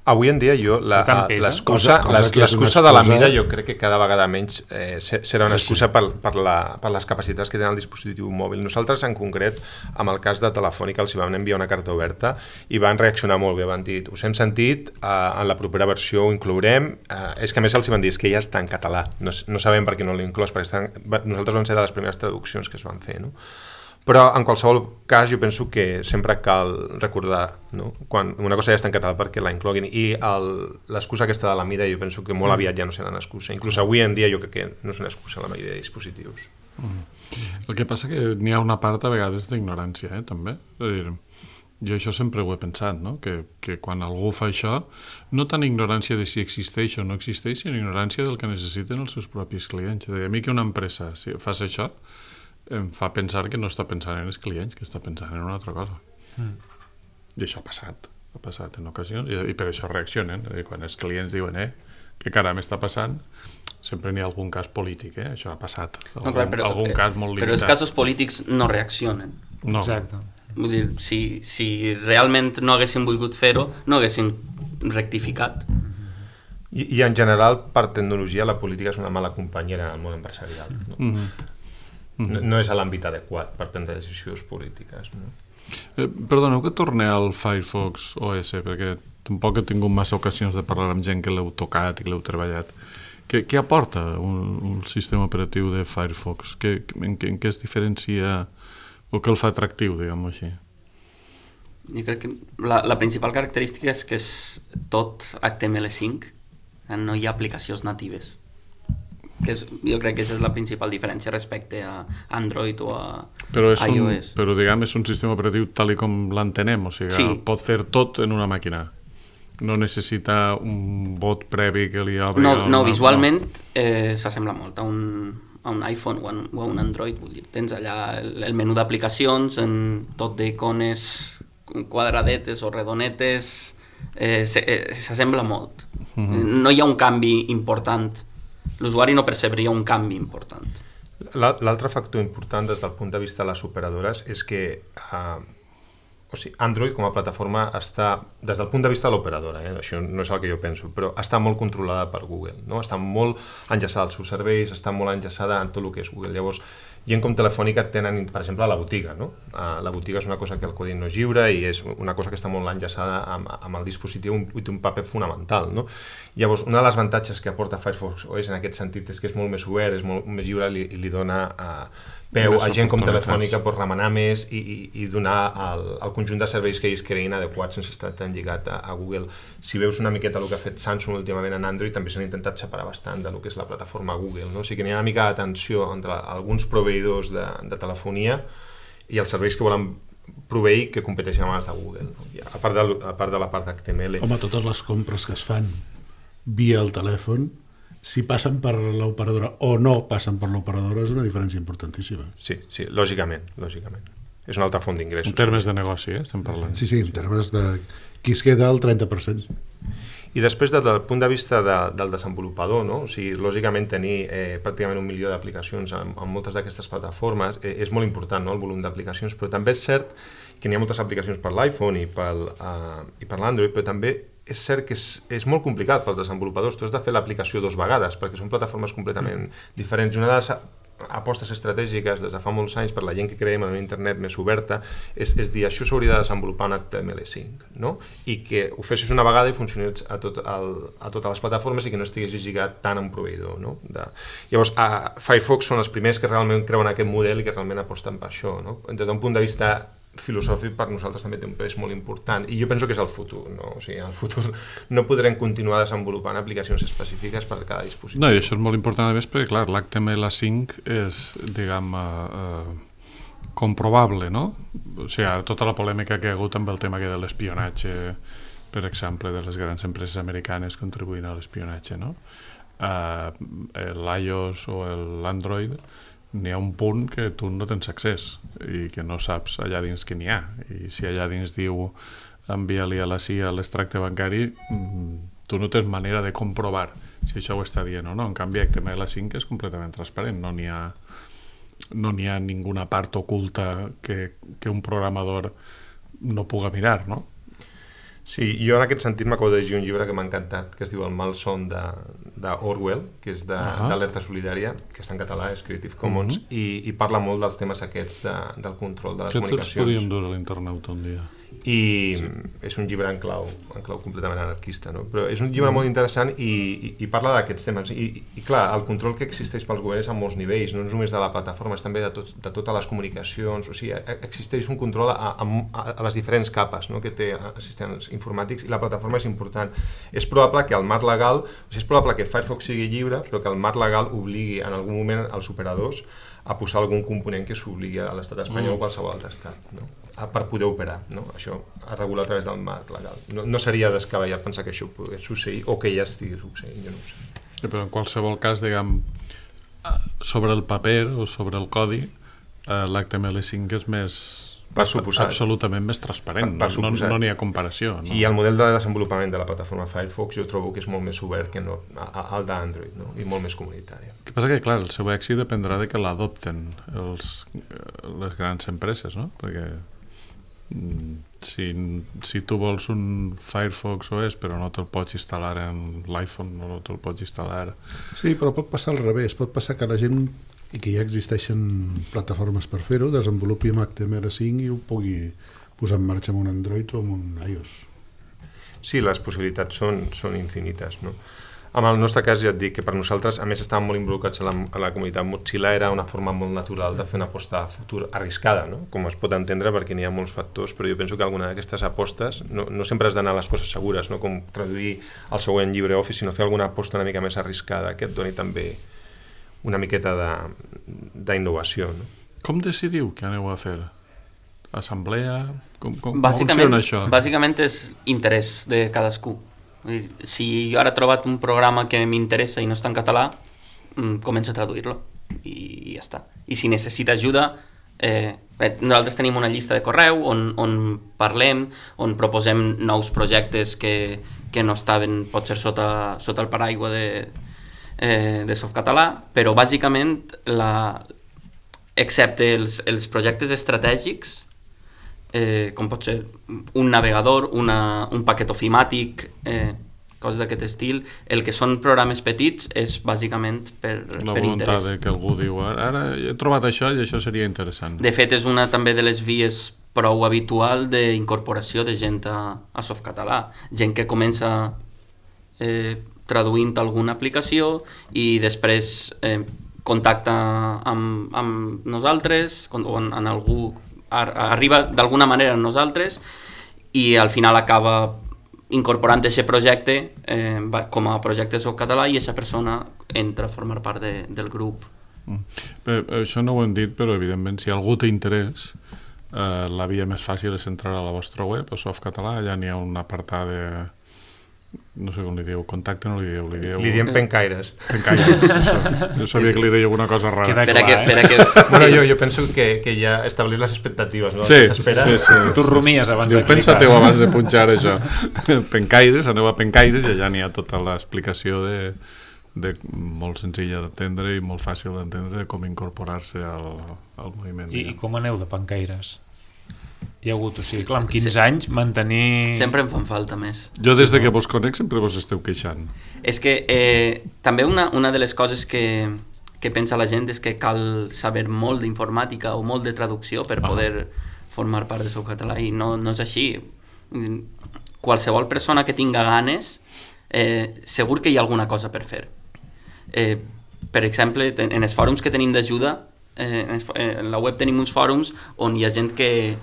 Avui en dia l'excusa de la mida jo crec que cada vegada menys serà una excusa per les capacitats que té el dispositiu mòbil. Nosaltres en concret, amb el cas de Telefònica, els vam enviar una carta oberta i van reaccionar molt bé, van dir, us hem sentit, en la propera versió ho inclourem, és que a més els van dir que ja està en català, no sabem per què no l'he inclòs, perquè nosaltres vam ser de les primeres traduccions que es van fer, no? Però en qualsevol cas jo penso que sempre cal recordar, no? Quan una cosa ja està en català perquè la incloguin, i l'excusa aquesta de la mida jo penso que molt aviat ja no serà una excusa. Inclús avui en dia jo crec que no és una excusa la majoria de dispositius. El que passa que n'hi ha una part a vegades d'ignorància, també. És a dir, jo això sempre ho he pensat, no? Que quan algú fa això, no tant ignorància de si existeix o no existeix, sinó ignorància del que necessiten els seus propis clients. A mi que una empresa, si fas això, em fa pensar que no està pensant en els clients, que està pensant en una altra cosa. I això ha passat en ocasions, i per això reaccionen. Quan els clients diuen, què caram està passant, sempre n'hi ha algun cas polític, això ha passat. Algun cas molt limitat. Però els casos polítics no reaccionen. No. Exacte. Vull dir, si realment no haguessin volgut fer-ho, no haguessin rectificat. I en general, per tecnologia, la política és una mala companyera en el món empresarial. No és a l'àmbit adequat per prendre decisions polítiques. No? Perdoneu que torni al Firefox OS, perquè tampoc he tingut massa ocasions de parlar amb gent que l'heu tocat i que l'heu treballat. Què aporta un sistema operatiu de Firefox? En què es diferencia o què el fa atractiu, diguem-ho així? Jo crec que la principal característica és que és tot HTML5, no hi ha aplicacions natives. Jo crec que aquesta és la principal diferència respecte a Android o a iOS. Però diguem, és un sistema operatiu tal com l'entenem, o sigui, pot fer tot en una màquina. No necessita un bot previ que li obri... No, visualment s'assembla molt a un iPhone o a un Android. Vull dir, tens allà el menú d'aplicacions, tot d'icones quadradetes o redonetes, s'assembla molt. No hi ha un canvi important. L'usuari no percebria un canvi important. L'altre factor important des del punt de vista de les operadores és que Android com a plataforma està, des del punt de vista de l'operadora, això no és el que jo penso, però està molt controlada per Google, no? Està molt enllaçada als seus serveis, està molt enllaçada en tot el que és Google. Llavors, gent com Telefònica tenen, per exemple, la botiga, no? La botiga és una cosa que el codi no és lliure i és una cosa que està molt enllaçada amb el dispositiu i té un paper fonamental, no? Llavors, un dels avantatges que aporta Firefox OS en aquest sentit és que és molt més obert, és molt més lliure i li dona peu a gent com Telefònica per remenar més i donar el conjunt de serveis que ells creïn adequats sense estar tan lligat a Google. Si veus una miqueta el que ha fet Samsung últimament en Android, també s'han intentat separar bastant del que és la plataforma Google, no? O sigui que n'hi ha una mica de tensió entre alguns proveïdors de telefonia i els serveis que volen proveir que competeixen amb els de Google, no? A part de la part d'HTML. Home, totes les compres que es fan via el telèfon, si passen per l'operadora o no passen per l'operadora, és una diferència importantíssima. Sí, lògicament. És una altra font d'ingressos. En termes de negoci, estem parlant. Sí, en termes de qui es queda el 30%. I després, des del punt de vista del desenvolupador, no? O sigui, lògicament tenir pràcticament 1 milió d'aplicacions en moltes d'aquestes plataformes és molt important, no? El volum d'aplicacions, però també és cert que n'hi ha moltes aplicacions per l'iPhone i per l'Android, però també és cert que és molt complicat pels desenvolupadors. Tu has de fer l'aplicació 2 vegades perquè són plataformes completament diferents. I una de les apostes estratègiques des de fa molts anys per la gent que creiem en una internet més oberta és dir, això s'hauria de desenvolupar en HTML5, no? I que ho fessis una vegada i funcionés a totes les plataformes i que no estigués lligat tant a un proveïdor, no? Llavors, Firefox són els primers que realment creuen aquest model i que realment aposten per això, no? Des d'un punt de vista filosòfic, per nosaltres també té un pes molt important i jo penso que és el futur, no? O sigui, en el futur no podrem continuar desenvolupant aplicacions específiques per cada dispositiu. No, i això és molt important a més perquè, clar, l'HTML5 és, diguem, comprovable, no? O sigui, tota la polèmica que hi ha hagut amb el tema de l'espionatge, per exemple, de les grans empreses americanes contribuint a l'espionatge, no? L'iOS o l'Android n'hi ha un punt que tu no tens accés i que no saps allà dins què n'hi ha, i si allà dins diu envia-li a la CIA l'extracte bancari, tu no tens manera de comprovar si això ho està dient o no. En canvi, HTML5 és completament transparent, no n'hi ha ninguna part oculta que un programador no puga mirar, no? Sí, jo en aquest sentit m'acabo de llegir un llibre que m'ha encantat, que es diu El malson d'Orwell, que és d'Alerta Solidària, que està en català, és Creative Commons, i parla molt dels temes aquests del control de les comunicacions. Aquests els podríem dur a l'internet un dia. i és un llibre en clau completament anarquista, no? Però és un llibre molt interessant i parla d'aquests temes i clar, el control que existeix pels governs a molts nivells, no és només de la plataforma, és també de totes les comunicacions, o sigui, existeix un control a les diferents capes, no? Que té assistents informàtics, i la plataforma és important. És probable que el marc legal, o sigui, és probable que Firefox sigui lliure, però que el marc legal obligui en algun moment als operadors a posar algun component que s'obligui a l'estat espanyol o qualsevol altre estat, no? Per poder operar, no? Això es regula a través del marc legal. No seria descabellat pensar que això pogués succeir o que ja estigui succeint, jo no ho sé. Però en qualsevol cas, diguem, sobre el paper o sobre el codi, l'HTML5 és més... absolutament més transparent, no n'hi ha comparació. No? I el model de desenvolupament de la plataforma Firefox jo trobo que és molt més obert que no, el d'Android, no? I molt més comunitari. El que passa que, clar, el seu èxit dependrà de que l'adopten les grans empreses, no? Perquè si tu vols un Firefox OS però no te'l pots instal·lar en l'iPhone, no te'l pots instal·lar... Sí, però pot passar al revés, pot passar que la gent, i que ja existeixen plataformes per fer-ho, desenvolupi amb HTML5 i ho pugui posar en marxa amb un Android o amb un iOS. Sí, les possibilitats són infinites, no? En el nostre cas ja et dic que per nosaltres, a més estàvem molt involucrats a la comunitat Mozilla, era una forma molt natural de fer una aposta a futur arriscada, no? Com es pot entendre perquè n'hi ha molts factors, però jo penso que alguna d'aquestes apostes no sempre has d'anar a les coses segures, no? Com traduir el següent LibreOffice, sinó fer alguna aposta una mica més arriscada que et doni també una miqueta d'innovació, no? Com decidiu què aneu a fer? Assemblea? Com funciona això? Bàsicament és interès de cadascú. Si jo ara he trobat un programa que m'interessa i no està en català, començo a traduir-lo i ja està. I si necessita ajuda, nosaltres tenim una llista de correu on parlem, on proposem nous projectes que no estaven potser sota el paraigua de Softcatalà, però bàsicament excepte els projectes estratègics, com pot ser un navegador, un paquet ofimàtic, coses d'aquest estil, el que són programes petits és bàsicament per interès. La voluntat que algú diu, ara he trobat això i això seria interessant. De fet, és una també de les vies prou habitual d'incorporació de gent a Softcatalà. Gent que comença traduint alguna aplicació i després contacta amb nosaltres, o en algú arriba d'alguna manera a nosaltres i al final acaba incorporant aquest projecte com a projecte Softcatalà i aquesta persona entra a formar part del grup. Això no ho hem dit, però evidentment si algú té interès, la via més fàcil és entrar a la vostra web, a Softcatalà, allà n'hi ha un apartat de... no sé com li diu, contacte no li diu... Li diem pencaires. Pencaires, això. Jo sabia que li deia alguna cosa rara. Queda clar, Bueno, jo penso que ja establir les expectatives, no? Sí. Tu rumies abans de clicar. Pensa-teu abans de punxar això. Pencaires, aneu a Pencaires i allà n'hi ha tota l'explicació de molt senzilla d'entendre i molt fàcil d'entendre de com incorporar-se al moviment. I com aneu de pencaires? Hi ha hagut, o sigui, clar, amb 15 anys mantenir... Sempre em fan falta més. Jo des de que vos conec sempre vos esteu queixant. És que també una de les coses que pensa la gent és que cal saber molt d'informàtica o molt de traducció per poder formar part de Softcatalà i no és així. Qualsevol persona que tinga ganes segur que hi ha alguna cosa per fer. Per exemple, en els fòrums que tenim d'ajuda, en la web tenim uns fòrums on hi ha gent que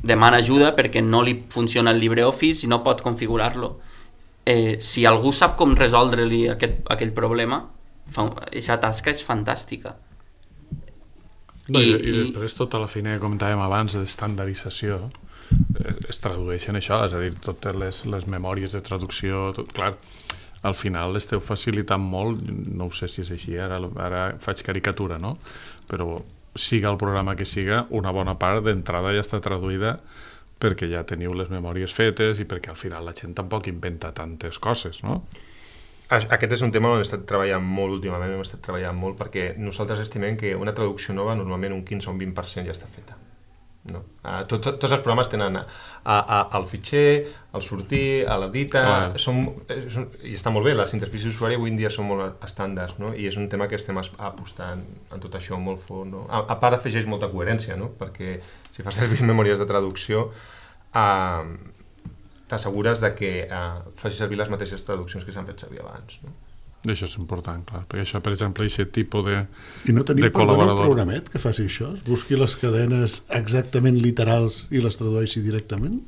demana ajuda perquè no li funciona el LibreOffice i no pot configurar-lo. Si algú sap com resoldre-li aquell problema, aquesta tasca és fantàstica. I després tota la feina que comentàvem abans d'estandardització es tradueixen això, és a dir, totes les memòries de traducció, clar, al final esteu facilitant molt, no ho sé si és així, ara faig caricatura, no? Però siga el programa que siga, una bona part d'entrada ja està traduïda perquè ja teniu les memòries fetes i perquè al final la gent tampoc inventa tantes coses, no? Aquest és un tema on hem estat treballant molt últimament, hem estat treballant molt perquè nosaltres estimem que una traducció nova normalment un 15 o un 20% ja està feta. No? Tots els programes tenen el fitxer, el sortir, l'editar, i està molt bé, les interfícies d'usuari avui en dia són molt estàndards, no? I és un tema que estem apostant en tot això molt fort, no? A part afegeix molta coherència, no? Perquè si fas servir memòries de traducció t'assegures que faci servir les mateixes traduccions que s'han fet servir abans, no? Això és important, clar, perquè això, per exemple, aquest tipus de I no tenim, de col·laborador. Un programet que faci això? Busqui les cadenes exactament literals i les tradueixi directament?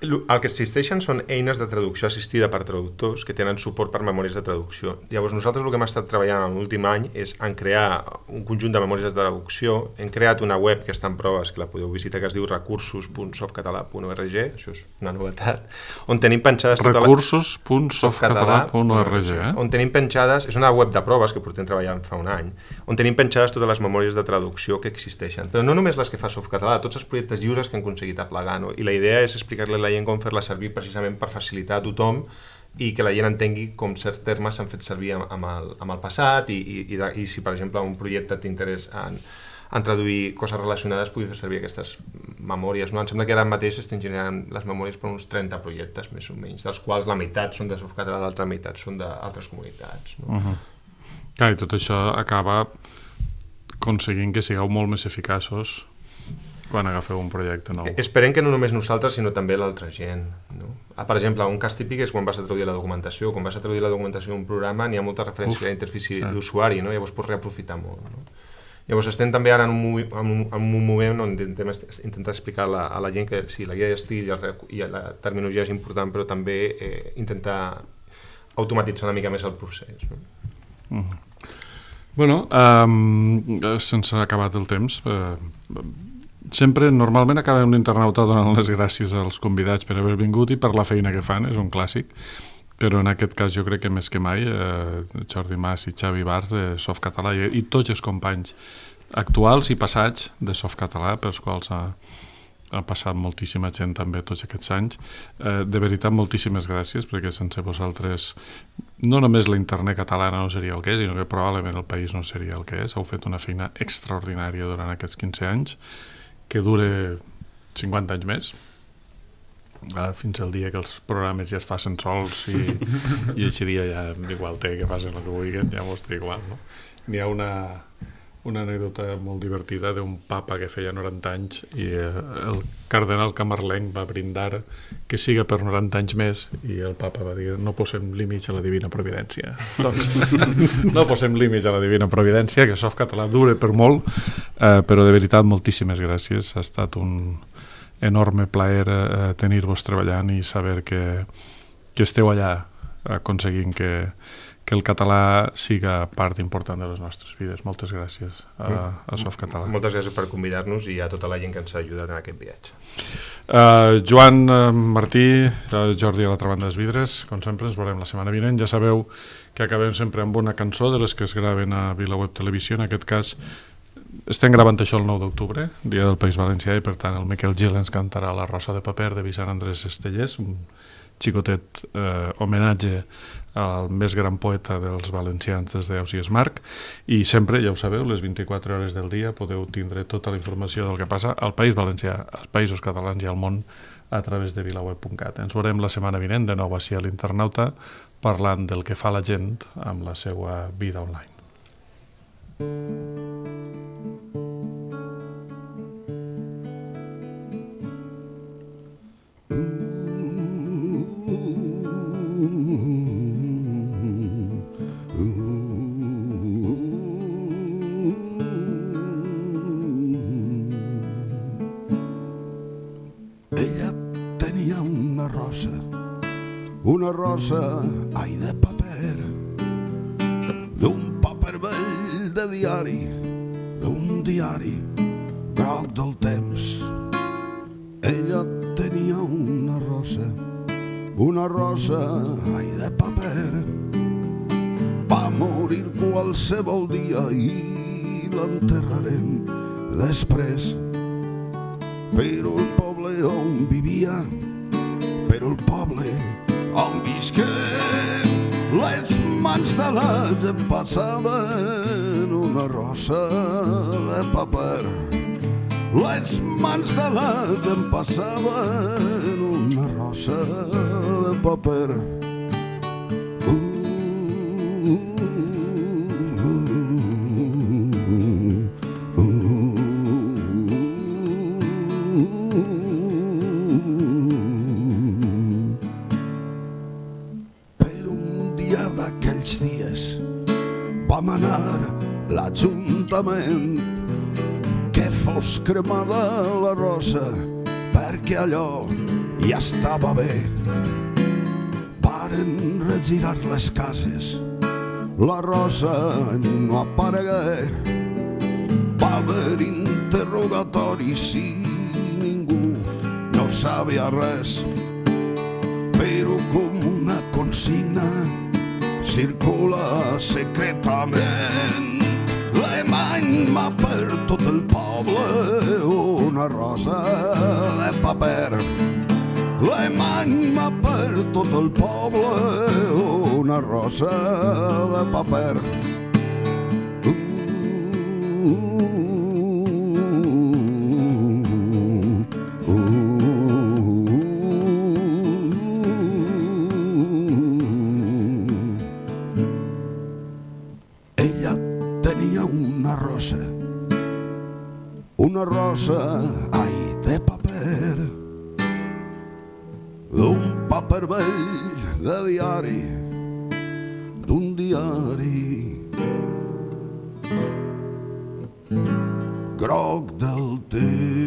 El que existeixen són eines de traducció assistida per traductors que tenen suport per memòries de traducció. Llavors, nosaltres el que hem estat treballant en l'últim any és en crear un conjunt de memòries de traducció. Hem creat una web que està en proves, que la podeu visitar, que es diu recursos.softcatalà.org, això és una novetat, on tenim penjades... Recursos.softcatalà.org, on tenim penjades... És una web de proves que portem treballant fa un any, on tenim penjades totes les memòries de traducció que existeixen. Però no només les que fa Softcatalà, tots els projectes lliures que han aconseguit aplegar, no? I la idea és explicar-li a la gent com fer-la servir precisament per facilitar a tothom i que la gent entengui com certs termes s'han fet servir amb el passat i si, per exemple, un projecte t'interessa en traduir coses relacionades pugui fer servir aquestes memòries, no? Em sembla que ara mateix estem generant les memòries per uns 30 projectes, més o menys, dels quals la meitat són de Softcatalà, l'altra meitat són d'altres comunitats, no? Clar, i tot això acaba aconseguint que sigueu molt més eficaços quan agafeu un projecte nou. Esperem que no només nosaltres, sinó també l'altra gent, no? Per exemple, un cas típic és quan vas a traduir la documentació. Quan vas a traduir la documentació d'un programa n'hi ha molta referència a la interfície d'usuari, no? Llavors pots reaprofitar molt, no? Llavors estem també ara en un moment on intentem explicar a la gent que sí, la guia d'estil i la terminologia és important, però també intentar automatitzar una mica més el procés, no? Bueno, sense acabat el temps, sempre, normalment acabem l'internauta donant les gràcies als convidats per haver vingut i per la feina que fan, és un clàssic, però en aquest cas jo crec que més que mai Jordi Mas i Xavi Bars de Softcatalà i tots els companys actuals i passats de Softcatalà, pels quals ha passat moltíssima gent també tots aquests anys, de veritat moltíssimes gràcies, perquè sense vosaltres no només la internet catalana no seria el que és, sinó que probablement el país no seria el que és. Heu fet una feina extraordinària durant aquests 15 anys que dure 50 anys més, fins al dia que els programes ja es facin sols i aquest dia ja igual té que facin el que vulguin, ja mos té igual, no? N'hi ha una anècdota molt divertida d'un papa que feia 90 anys i el cardenal camarlenc va brindar que siga per 90 anys més i el papa va dir no posem límits a la divina providència. Doncs no posem límits a la divina providència, que Softcatalà dure per molt, però de veritat moltíssimes gràcies. Ha estat un enorme plaer tenir-vos treballant i saber que esteu allà aconseguint que el català siga part important de les nostres vides. Moltes gràcies a Softcatalà. Moltes gràcies per convidar-nos i a tota la gent que ens ha ajudat en aquest viatge. Joan, Martí, Jordi a l'altra banda dels vidres, com sempre ens veurem la setmana vinent. Ja sabeu que acabem sempre amb una cançó de les que es graven a VilaWeb Televisió. En aquest cas estem gravant això el 9 d'octubre, dia del País Valencià, i per tant el Miquel Gil ens cantarà La rosa de paper de Vicent Andrés Estellés, un xicotet homenatge al més gran poeta dels valencians des d'Ausiàs Marc, i sempre, ja ho sabeu, les 24 hores del dia podeu tindre tota la informació del que passa al País Valencià, als Països Catalans i al món a través de vilaweb.cat. Ens veurem la setmana vinent de nou així a l'Internauta parlant del que fa la gent amb la seva vida online. Una rosa, ai, de paper, d'un paper vell de diari, d'un diari groc del temps. Ella tenia una rosa, ai, de paper. Va morir qualsevol dia i l'enterrarem després. Però el poble on vivia, però el poble on visqué, les mans de la gent passaven una rosa de paper. Les mans de la gent passaven una rosa de paper. cases. Vam anar l'Ajuntament que fos cremada la rosa perquè allò ja estava bé. Varen regirar les cases, la rosa no aparegué. Va haver interrogatoris i ningú no sabia res, però com una consigna circula secretament. L'emany per tot el poble una rosa de paper. L'emany per tot el poble una rosa de paper. Una rosa, ai, de paper, d'un paper vell de diari, d'un diari groc del temps.